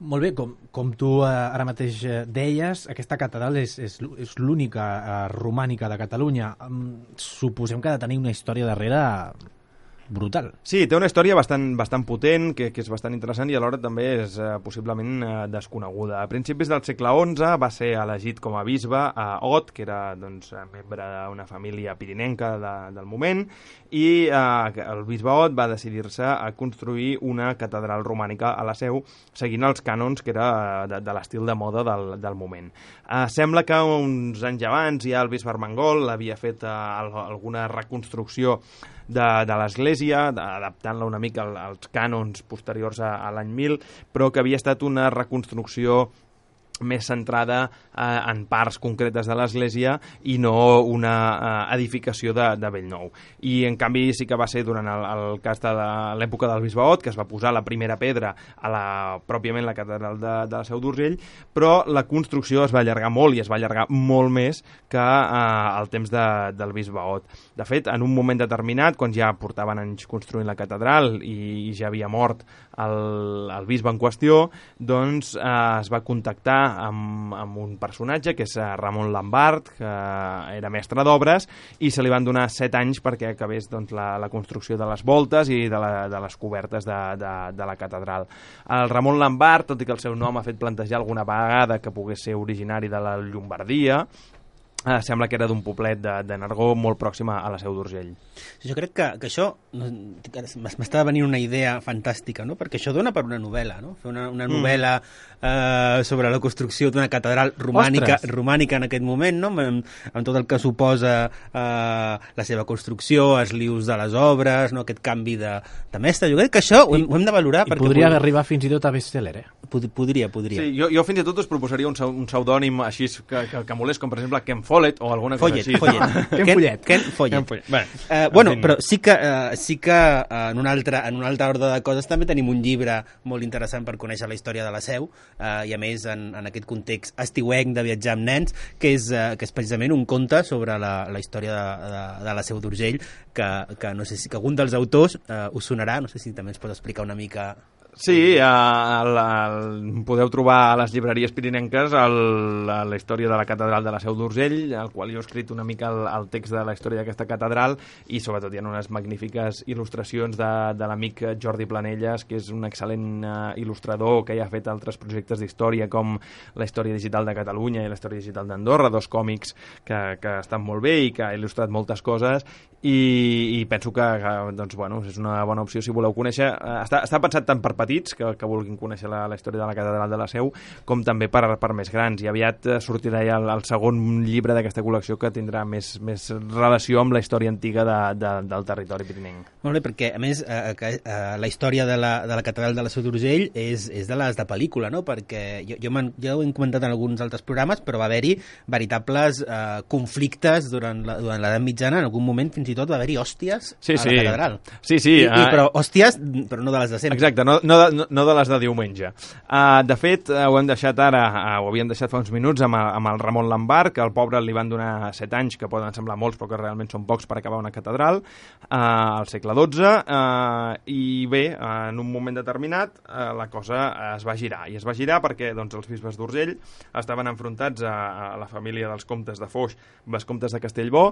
Molt bé, com tu ara mateix deies, aquesta catedral és l'única romànica de Catalunya. Suposem que ha de tenir una història darrere brutal.
Sí, té una història bastant potent, que és bastant interessant i alhora també és possiblement desconeguda. A principis del segle XI va ser elegit com a bisbe a Ot, que era membre d'una família pirinenca del moment, i el bisbe Ot va decidir-se a construir una catedral romànica a la Seu, seguint els cànons que era de l'estil de moda del moment. Sembla que uns anys abans ja el bisbe Armengol havia fet alguna reconstrucció de l'església, adaptant-la una mica als cànons posteriors a l'any 1000, però que havia estat una reconstrucció més centrada en parts concretes de l'església i no una edificació de bell nou. I en canvi sí que va ser durant el cas de l'època del bisbe Ot que es va posar la primera pedra pròpiament la catedral de la Seu d'Urgell, però la construcció es va allargar molt i es va allargar molt més que el temps del bisbe Ot. De fet, en un moment determinat, quan ja portaven anys construint la catedral i ja havia mort el bisbe en qüestió, doncs es va contactar amb un personatge que és Ramon Lambart, que era mestre d'obres, i se li van donar 7 anys perquè acabés la construcció de les voltes i de les cobertes de la catedral. El Ramon Lambart, tot i que el seu nom ha fet plantejar alguna vegada que pogués ser originari de la Llombardia, sembla que era d'un poblet de Nargó molt pròxim a la Seu d'Urgell.
Jo crec que això m'està venint una idea fantàstica, no? Perquè això dona per una novel·la, no? Fer una novel·la sobre la construcció d'una catedral romànica en aquest moment, no? Amb tot el que suposa la seva construcció, els lius de les obres, no? Aquest canvi de mestre. Jo crec que això ho hem de valorar.
I podria arribar fins i tot a best-seller,
Podria.
Sí, jo fins i tot us proposaria un pseudònim així que molés, com per exemple Ken Follett o alguna cosa així.
Ken Follett. Bueno, però sí que en un altre ordre de coses també tenim un llibre molt interessant per conèixer la història de la Seu, i a més en aquest context estiuenc de viatjar amb nens, que és precisament un conte sobre la història de la Seu d'Urgell, que no sé si algun dels autors us sonarà, no sé si també ens pot explicar una mica.
Sí, podeu trobar a les llibreries pirinenques la història de la catedral de la Seu d'Urgell, al qual jo he escrit una mica el text de la història d'aquesta catedral, i sobretot hi ha unes magnífiques il·lustracions de l'amic Jordi Planelles, que és un excel·lent il·lustrador que ja ha fet altres projectes d'història com la història digital de Catalunya i la història digital d'Andorra, 2 còmics que estan molt bé i que ha il·lustrat moltes coses, i penso que és una bona opció si voleu conèixer. Està pensat tant per petits que vulguin conèixer la història de la catedral de la Seu, com també per més grans, i aviat sortirà ja el segon llibre d'aquesta col·lecció que tindrà més relació amb la història antiga del territori pirinenc.
Molt bé, perquè a més la història de la catedral de la Seu d'Urgell és de les de pel·lícula, no? Perquè ja ho hem comentat en alguns altres programes, però va haver-hi veritables conflictes durant l'edat mitjana. En algun moment fins i tot va haver-hi hòsties a la catedral.
Sí.
Però hòsties, però no de les de sempre.
Exacte, no de les de diumenge. De fet, ho hem deixat ara, ho havíem deixat fa uns minuts amb el Ramon Lambart, que al pobre li van donar 7 anys, que poden semblar molts però que realment són pocs per acabar una catedral, al segle XII, i bé, en un moment determinat la cosa es va girar, i es va girar perquè els bisbes d'Urgell estaven enfrontats a la família dels comtes de Foix, vescomtes de Castellbò,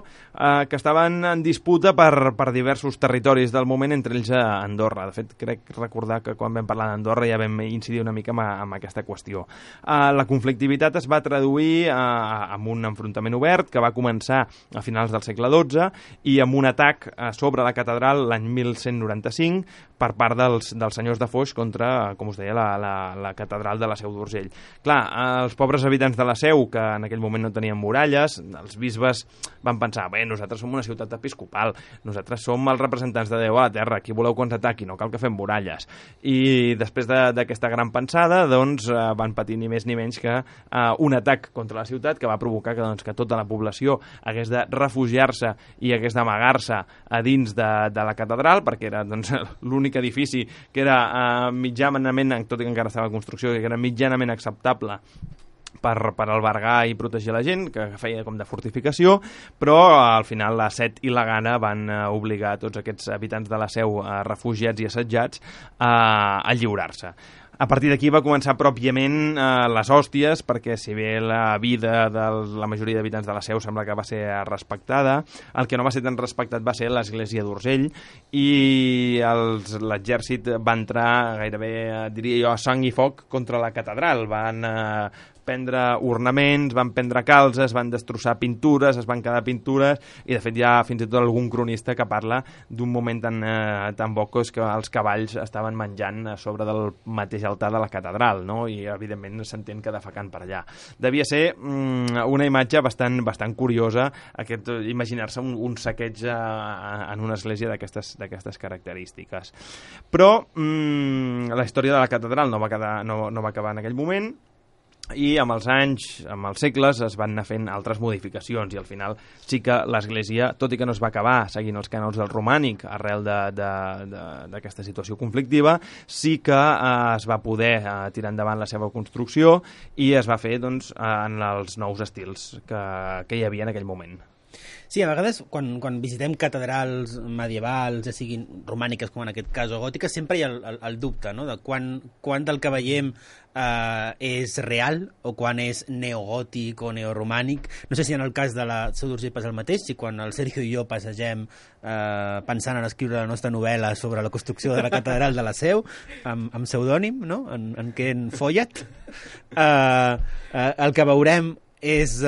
que estaven en disputa per diversos territoris del moment, entre ells Andorra. De fet, crec recordar que quan quan vam parlar d'Andorra ja vam incidir una mica amb aquesta qüestió. La conflictivitat es va traduir amb un enfrontament obert que va començar a finals del segle XII i amb un atac sobre la catedral l'any 1195 per part dels senyors de Foix contra, com us deia, la catedral de la Seu d'Urgell. Clar, els pobres habitants de la Seu, que en aquell moment no tenien muralles, els bisbes van pensar, bé, nosaltres som una ciutat episcopal, nosaltres som els representants de Déu a la terra, qui voleu que ens ataqui, no cal que fem muralles. I després d'aquesta gran pensada, doncs, van patir ni més ni menys que un atac contra la ciutat que va provocar que tota la població hagués de refugiar-se i hagués d'amagar-se a dins de la catedral, perquè era l'únic edifici que era mitjanament, tot i que encara estava en construcció, que era mitjanament acceptable per albergar i protegir la gent, que feia com de fortificació, però al final la Set i la Gana van obligar tots aquests habitants de la Seu, refugiats i assetjats, a lliurar-se. A partir d'aquí va començar pròpiament les hòsties, perquè si bé la vida de la majoria d'habitants de la Seu sembla que va ser respectada, el que no va ser tan respectat va ser l'església d'Urgell, i l'exèrcit va entrar gairebé, diria jo, a sang i foc contra la catedral. Van prendre ornaments, van prendre calzes, van destrossar pintures, es van quedar pintures, i de fet hi ha fins i tot algun cronista que parla d'un moment tan bocós que els cavalls estaven menjant a sobre del mateix altar de la catedral, no? I evidentment s'entén que defecant per allà. Devia ser una imatge bastant curiosa, imaginar-se un saqueig en una església d'aquestes característiques. Però la història de la catedral no va acabar en aquell moment, i amb els anys, amb els segles, es van anar fent altres modificacions, i al final sí que l'església, tot i que no es va acabar seguint els cànons del romànic arrel d'aquesta situació conflictiva, sí que es va poder tirar endavant la seva construcció i es va fer en els nous estils que hi havia en aquell moment.
Sí, a vegades quan visitem catedrals medievals, ja siguin romàniques com en aquest cas o gòtiques, sempre hi ha el dubte, no?, de quan del que veiem és real o quan és neogòtic o neoromànic. No sé si en el cas de la Seu d'Urgell passa el mateix, si quan el Sergio i jo passegem pensant en escriure la nostra novel·la sobre la construcció de la catedral de la Seu, amb pseudònim, no?, en Ken Follett, el que veurem és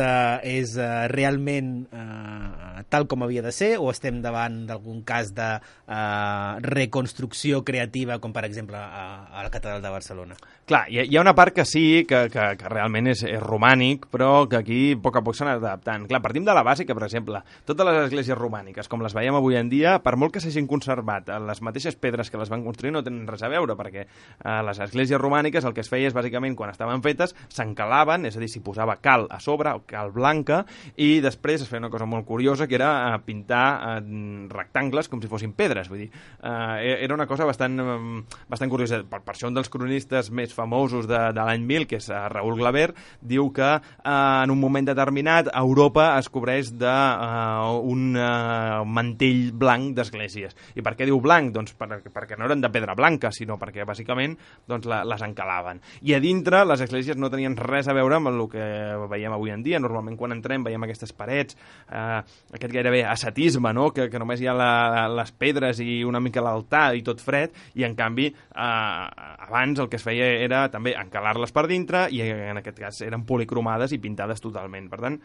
realment tal com havia de ser, o estem davant d'algun cas de reconstrucció creativa, com per exemple a la Catedral de Barcelona?
Clar, hi ha una part que sí, que realment és romànic, però que aquí a poc s'ha anat adaptant. Clar, partim de la base que, per exemple, totes les esglésies romàniques, com les veiem avui en dia, per molt que s'hagin conservat les mateixes pedres que les van construir, no tenen res a veure, perquè les esglésies romàniques el que es feia és, bàsicament, quan estaven fetes, s'encalaven, és a dir, s'hi posava cal a sobre, cal blanca, i després es feia una cosa molt curiosa, que era pintar rectangles com si fossin pedres. Vull dir, era una cosa bastant curiosa. Per això un dels cronistes més famosos de l'any 1000, que és Raül Glaber, diu que en un moment determinat Europa es cobreix d'un mantell blanc d'esglésies. I per què diu blanc? Doncs perquè no eren de pedra blanca, sinó perquè bàsicament les encalaven. I a dintre les esglésies no tenien res a veure amb el que veiem avui en dia. Normalment quan entrem veiem aquestes parets, aquest gairebé ascetisme, no?, que només hi ha les pedres i una mica l'altar i tot fred, i en canvi abans el que es feia era també encalar-les per dintre, i en aquest cas eren policromades i pintades totalment. Per tant,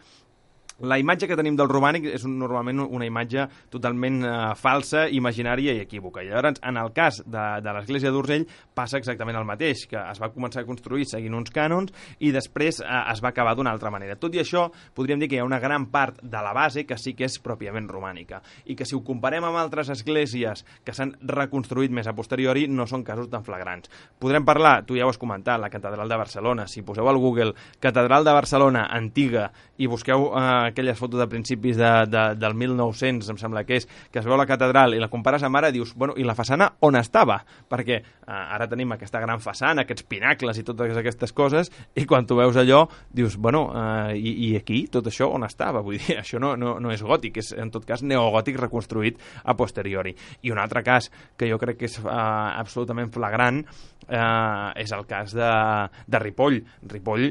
la imatge que tenim del romànic és normalment una imatge totalment falsa, imaginària i equívoca. I llavors, en el cas de l'església d'Urgell, passa exactament el mateix, que es va començar a construir seguint uns cànons i després es va acabar d'una altra manera. Tot i això, podríem dir que hi ha una gran part de la base que sí que és pròpiament romànica, i que si ho comparem amb altres esglésies que s'han reconstruït més a posteriori, no són casos tan flagrants. Podrem parlar, tu ja ho has comentat, la Catedral de Barcelona. Si poseu al Google Catedral de Barcelona antiga i busqueu aquelles fotos de principis del 1900, em sembla que es veu la catedral i la compares amb ara, dius, bueno, i la façana on estava? Perquè ara tenim aquesta gran façana, aquests pinacles i totes aquestes coses, i quan tu veus allò, dius, bueno, i aquí, tot això on estava? Vull dir, això no és gòtic, és en tot cas neogòtic reconstruït a posteriori. I un altre cas que jo crec que és absolutament flagrant és el cas de Ripoll. Ripoll,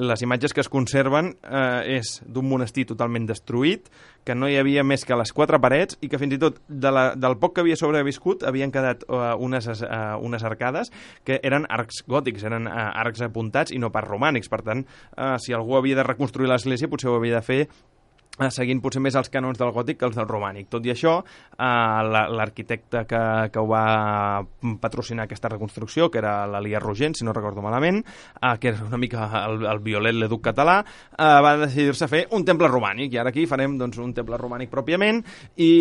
les imatges que es conserven és d'un monestir monestir totalment destruït, que no hi havia més que les 4 parets i que fins i tot del poc que havia sobreviscut havien quedat unes arcades que eren arcs gòtics, eren arcs apuntats i no pas romànics. Per tant, si algú havia de reconstruir l'església potser ho havia de fer seguint potser més els canons del gòtic que els del romànic. Tot i això, l'arquitecte que ho va patrocinar aquesta reconstrucció, que era l'Elias Rogent, si no recordo malament, que era una mica el violet l'educ català, va decidir-se a fer un temple romànic, i ara aquí farem doncs, un temple romànic pròpiament, i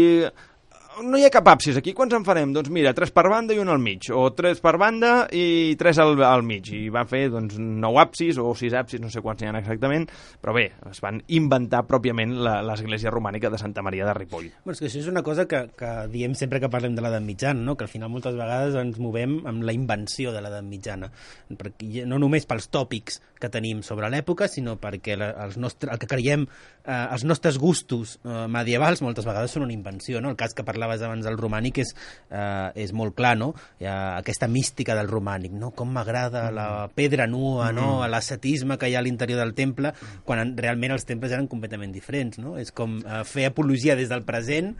no hi ha cap absis aquí, quants en farem? Doncs mira, 3 per banda i un al mig, o 3 per banda i 3 al mig, i van fer doncs, 9 absis o 6 absis, no sé quants n'hi ha exactament, però bé, es van inventar pròpiament l'església romànica de Santa Maria de Ripoll.
Bueno, és que això és una cosa que diem sempre que parlem de l'edat mitjana, no? Que al final moltes vegades ens movem amb la invenció de l'edat mitjana, perquè no només pels tòpics que tenim sobre l'època, sinó perquè el que creiem, els nostres gustos medievals moltes vegades són una invenció, no? El cas que parlaves abans del romànic és molt clar, no? Hi ha aquesta mística del romànic, no? Com m'agrada la pedra nua, no? L'ascetisme que hi ha a l'interior del temple, quan realment els temples eren completament diferents, no? És com fer apologia des del present,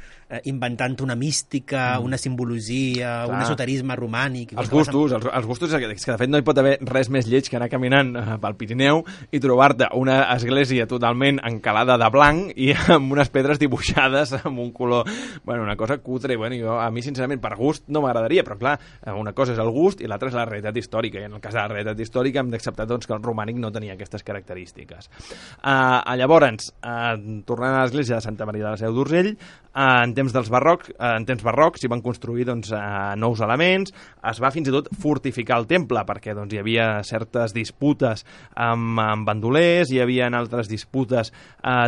inventant una mística, una simbologia, un esoterisme romànic.
Els gustos és que de fet no hi pot haver res més lleig que anar caminant pel Pirineu i trobar-te una església totalment encalada de blanc i amb unes pedres dibuixades amb un color, bueno, una cosa cutre. Bueno, a mi sincerament per gust no m'agradaria, però clar, una cosa és el gust i l'altra és la realitat històrica, i en el cas de la realitat històrica hem d'acceptar doncs, que el romànic no tenia aquestes característiques. Llavors, tornant a l'església de Santa Maria de la Seu d'Urgell, en temps barrocs s'hi van construir doncs, nous elements, es va fins i tot fortificar el temple perquè doncs, hi havia certes disputes amb bandolers, hi havia altres disputes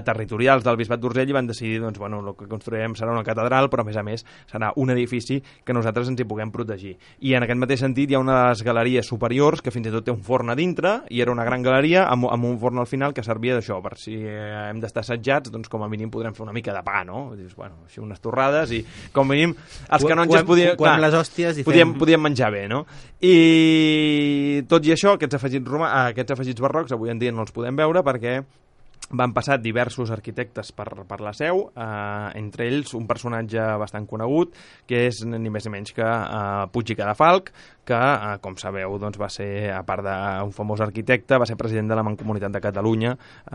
territorials del bisbat d'Urgell i van decidir doncs, bueno, el que construirem serà una catedral, però a més serà un edifici que nosaltres ens hi puguem protegir. I en aquest mateix sentit hi ha una de les galeries superiors que fins i tot té un forn a dintre i era una gran galeria amb un forn al final que servia d'això, per si hem d'estar assetjats, doncs com a mínim podrem fer una mica de pa, no? Dius, bueno, així unes torrades i com a mínim els canonges podien menjar bé, no? I tot i això, aquests afegits barrocs avui en dia no els podem veure perquè van passar diversos arquitectes per la Seu, entre ells un personatge bastant conegut, que és ni més ni menys que Puig i Cadafalch, que, com sabeu, doncs va ser, a part d'un famós arquitecte, va ser president de la Mancomunitat de Catalunya,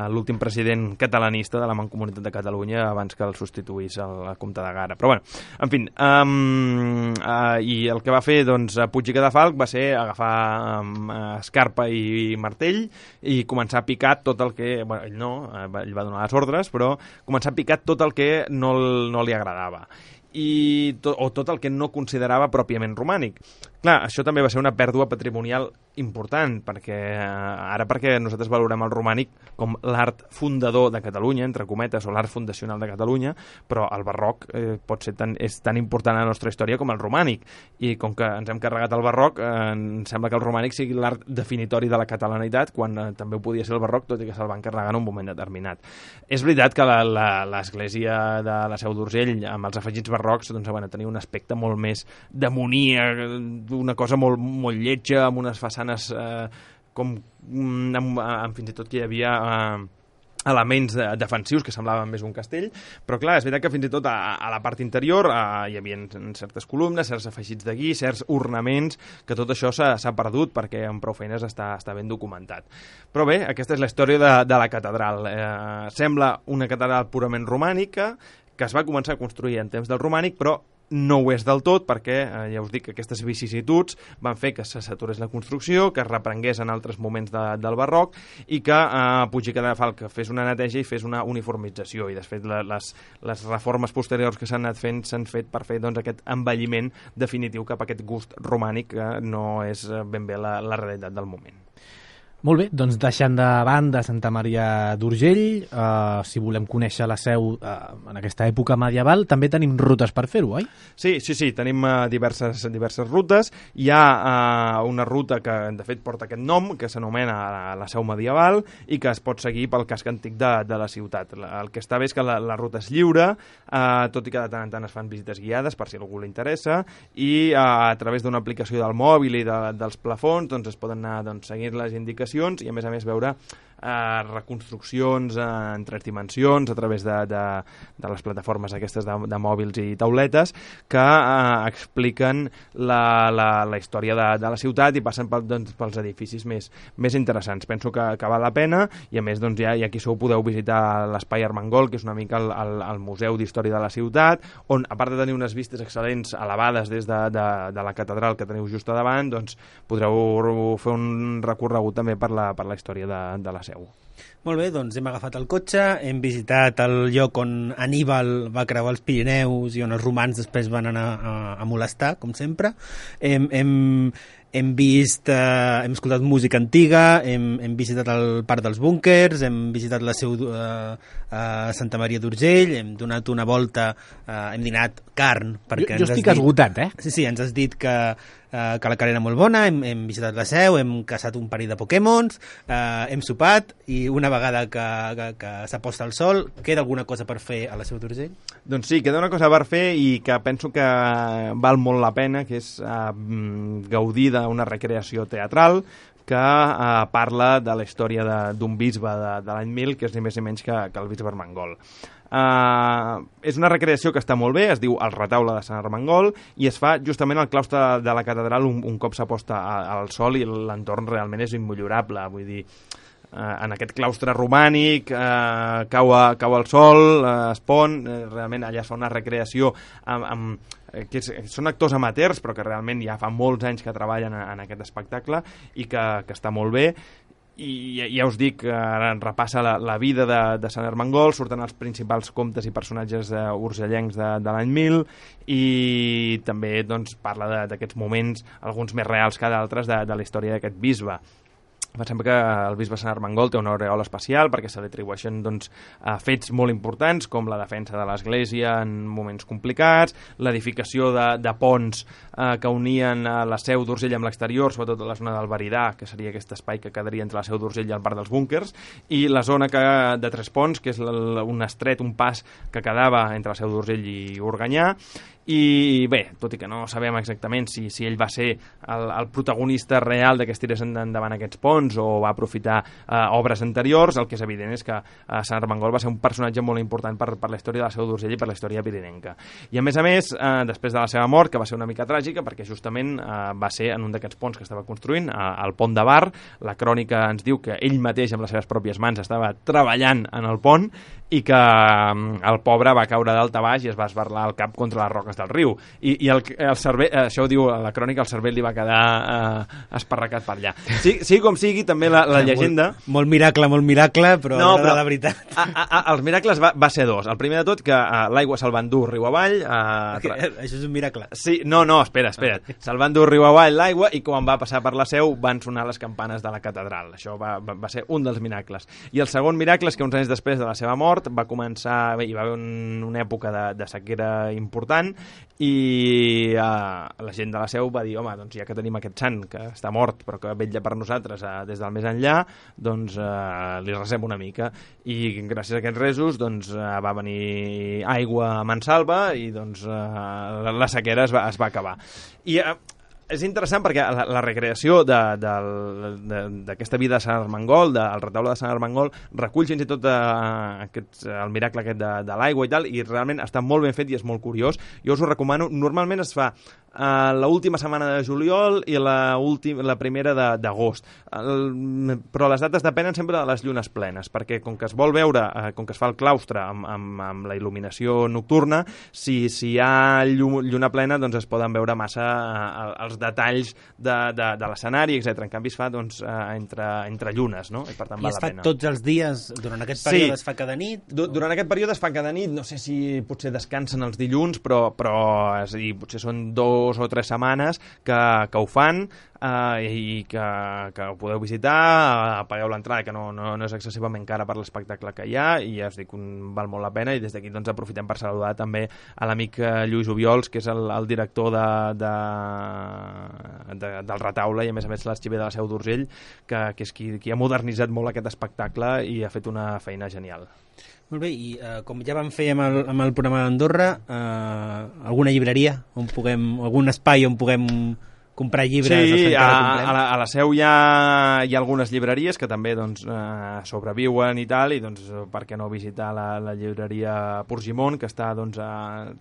l'últim president catalanista de la Mancomunitat de Catalunya abans que el substituís el comte de Gara. Però, bueno, en fi, i el que va fer doncs, Puig i Cadafalch va ser agafar escarpa i martell i començar a picar tot el que... Bueno, ell no, ell va donar les ordres, però començar a picar tot el que no li agradava. O tot el que no considerava pròpiament romànic. Clar, això també va ser una pèrdua patrimonial important, perquè nosaltres valorem el romànic com l'art fundador de Catalunya, entre cometes, o l'art fundacional de Catalunya, però el barroc és tan important a la nostra història com el romànic, i com que ens hem carregat el barroc, em sembla que el romànic sigui l'art definitori de la catalanitat, quan també ho podia ser el barroc, tot i que se'l van carregar en un moment determinat. És veritat que l'església de la Seu d'Urgell, amb els afegits barrocs, doncs, bueno, tenia un aspecte molt més demoníac, una cosa molt, molt lletja, amb unes façanes amb fins i tot que hi havia elements defensius que semblaven més un castell, però clar, és veritat que fins i tot a la part interior hi havia certes columnes, certs afegits de guix, certs ornaments, que tot això s'ha perdut perquè amb prou feines està ben documentat. Però bé, aquesta és la història de la catedral. Sembla una catedral purament romànica, que es va començar a construir en temps del romànic, però no ho és del tot perquè, ja us dic, que aquestes vicissituds van fer que se saturés la construcció, que es reprengués en altres moments del barroc i que Puig i Cadafalch fes una neteja i fes una uniformització, i de fet les reformes posteriors que s'han anat fent s'han fet per fer doncs, aquest envelliment definitiu cap a aquest gust romànic que no és ben bé la realitat del moment.
Molt bé, doncs deixant de banda Santa Maria d'Urgell, si volem conèixer la Seu en aquesta època medieval, també tenim rutes per fer-ho, oi?
Sí, tenim diverses rutes. Hi ha una ruta que, de fet, porta aquest nom, que s'anomena la Seu medieval i que es pot seguir pel casc antic de la ciutat. El que està bé és que la ruta és lliure, tot i que de tant en tant es fan visites guiades, per si a algú li interessa, i a través d'una aplicació del mòbil i dels plafons doncs, es poden anar seguint les indicacions i a més veure reconstruccions en 3 dimensions a través de les plataformes aquestes de mòbils i tauletes que expliquen la història de la ciutat i passen pels edificis més interessants. Penso que val la pena i a més doncs, ja aquí podeu visitar l'Espai Armengol, que és una mica el museu d'història de la ciutat, on a part de tenir unes vistes excel·lents elevades des de la catedral que teniu just a davant, doncs podreu fer un recorregut també per la història de la Seu.
Molt bé, doncs hem agafat el cotxe, hem visitat el lloc on Aníbal va creuar els Pirineus i on els romans després van anar a molestar, com sempre. Hem escoltat música antiga, hem visitat el Parc dels Búnkers, hem visitat la Seu a Santa Maria d'Urgell, hem donat una volta, hem dinat carn.
Jo estic esgotat,
Sí, ens has dit que la carn era molt bona, hem visitat la Seu, hem caçat un parell de Pokémons, hem sopat i una vegada que s'aposta el sol, queda alguna cosa per fer a la Seu d'Urgell?
Doncs sí, queda una cosa per fer i que penso que val molt la pena, que és gaudir d'una recreació teatral que parla de la història d'un bisbe de l'any 1000, que és ni més ni menys que el bisbe Armengol. És una recreació que està molt bé, es diu El retaule de Sant Armengol i es fa justament al claustre de la catedral un cop s'aposta al sol i l'entorn realment és immillorable, vull dir, en aquest claustre romànic cau el sol, es pon, realment allà es fa una recreació que són actors amateurs però que realment ja fa molts anys que treballen en aquest espectacle i que està molt bé. I ja us dic, ara repassa la vida de Sant Armengol, surten els principals comtes i personatges urgellencs de l'any 1000 i també doncs, parla d'aquests moments, alguns més reals que d'altres, de la història d'aquest bisbe. Pensem que el bisbe Sant Armengol té una aureola especial perquè se li atribueixen fets molt importants com la defensa de l'Església en moments complicats, l'edificació de ponts que unien la Seu d'Urgell amb l'exterior, sobretot la zona del Veridà, que seria aquest espai que quedaria entre la Seu d'Urgell i el Parc dels Búnkers, i la zona de Tres Ponts, que és un estret, un pas que quedava entre la Seu d'Urgell i Organyà. I bé, tot i que no sabem exactament si ell va ser el protagonista real de que es tirés endavant aquests ponts o va aprofitar obres anteriors, el que és evident és que Sant Armengol va ser un personatge molt important per la història de la Seu d'Urgell i per la història pirinenca. I a més, després de la seva mort, que va ser una mica tràgica, perquè justament va ser en un d'aquests ponts que estava construint, el pont de Bar, la crònica ens diu que ell mateix amb les seves pròpies mans estava treballant en el pont i que el pobre va caure dalt a baix i es va esbarlar el cap contra les roques del riu. I el cervell, això ho diu a la crònica, el cervell li va quedar esparracat per allà. Sí com sigui, també la llegenda...
Molt miracle, però no la veritat.
Els miracles va ser dos. El primer de tot, que l'aigua se'l van dur riu avall...
Això és un miracle.
Sí, no, espera't. Se'l van dur riu avall l'aigua i quan va passar per la Seu van sonar les campanes de la catedral. Això va ser un dels miracles. I el segon miracle és que uns anys després de la seva mort va començar... Hi va haver una època de sequera important i la gent de la Seu va dir, home, doncs ja que tenim aquest sant que està mort però que vetlla per nosaltres des del més enllà, doncs li resem una mica. I gràcies a aquests resos doncs va venir aigua a mansalva i doncs la sequera es va acabar. I és interessant perquè la recreació d'aquesta vida de Sant Armengol, del retaule de Sant Armengol, recull fins i tot el miracle aquest de l'aigua i tal, i realment està molt ben fet i és molt curiós. Jo us ho recomano. Normalment es fa l'última setmana de juliol i la primera d'agost, però les dates depenen sempre de les llunes plenes, perquè com que es vol veure, com que es fa el claustre amb la il·luminació nocturna, si hi ha lluna plena doncs es poden veure massa els detalls de l'escenari, etc. En canvi es fa entre llunes, no? I per tant val la pena.
I es fa tots els dies? Durant aquest període es fa cada nit?
Durant aquest període es fa cada nit, no sé si potser descansen els dilluns, però és a dir, potser són 2 o 3 setmanes que ho fan i que ho podeu visitar, pagueu l'entrada, que no és excessivament cara per l'espectacle que hi ha, i ja us dic, val molt la pena, i des d'aquí doncs aprofitem per saludar també a l'amic Lluís Obiols, que és el director del retaule i a més l'arxiver de la Seu d'Urgell, que és qui ha modernitzat molt aquest espectacle i ha fet una feina genial.
Molt bé, i com ja vam fer amb el programa d'Andorra, alguna llibreria, algun espai on puguem comprar llibres.
Sí, a la Seu hi ha algunes llibreries que també doncs, sobreviuen i tal, i doncs, per què no visitar la llibreria Purgimont, que està, doncs,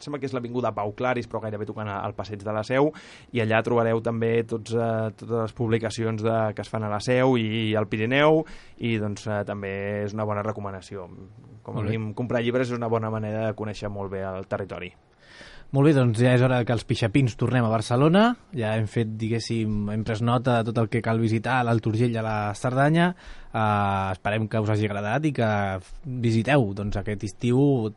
sembla que és l'avinguda Pau Claris, però gairebé tocant al passeig de la Seu, i allà trobareu també totes les publicacions que es fan a la Seu i al Pirineu, i doncs també és una bona recomanació. Com a mínim, comprar llibres és una bona manera de conèixer molt bé el territori.
Molt bé, doncs ja és hora que els pixapins tornem a Barcelona. Ja hem fet, diguéssim, hem pres nota de tot el que cal visitar a l'Alt Urgell i a la Cerdanya. Esperem que us hagi agradat i que visiteu doncs, aquest estiu,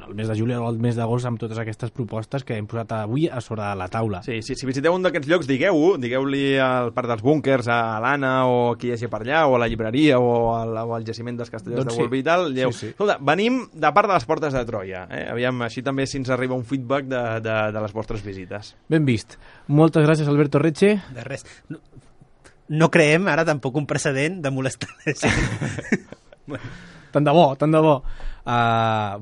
el mes de juliol o el mes d'agost, amb totes aquestes propostes que hem posat avui a sobre de la taula.
Sí, si visiteu un d'aquests llocs, digueu-li al Parc dels Búnkers, a l'Anna, o qui hi hagi per allà, o a la llibreria, o al jaciment dels Castellers de Bolvir i tal. Sí. Escolta, venim de part de les portes de Troia. Aviam, així també si ens arriba un feedback de les vostres visites.
Ben vist. Moltes gràcies, Alberto Reche.
De res. No creem ara tampoc un precedent de molestar la gent.
Tant de bo.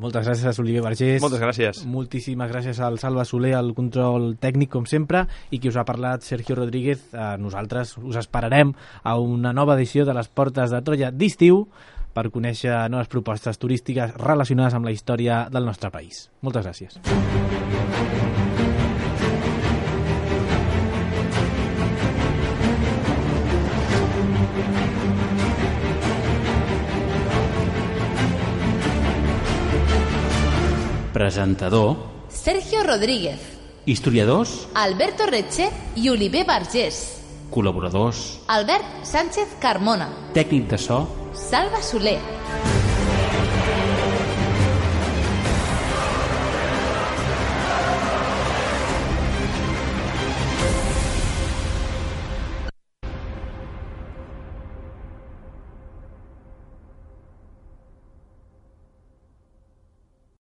Moltes gràcies, Oliver Vergés.
Moltes gràcies.
Moltíssimes gràcies al Salva Soler, al control tècnic, com sempre, i qui us ha parlat, Sergio Rodríguez. Nosaltres us esperarem a una nova edició de les Portes de Troia d'estiu per conèixer noves propostes turístiques relacionades amb la història del nostre país. Moltes gràcies.
Presentador
Sergio Rodríguez.
Historiadors
Alberto Reche i Oliver Vergés.
Col·laboradors
Albert Sánchez Carmona.
Tècnic de so
Salva Soler.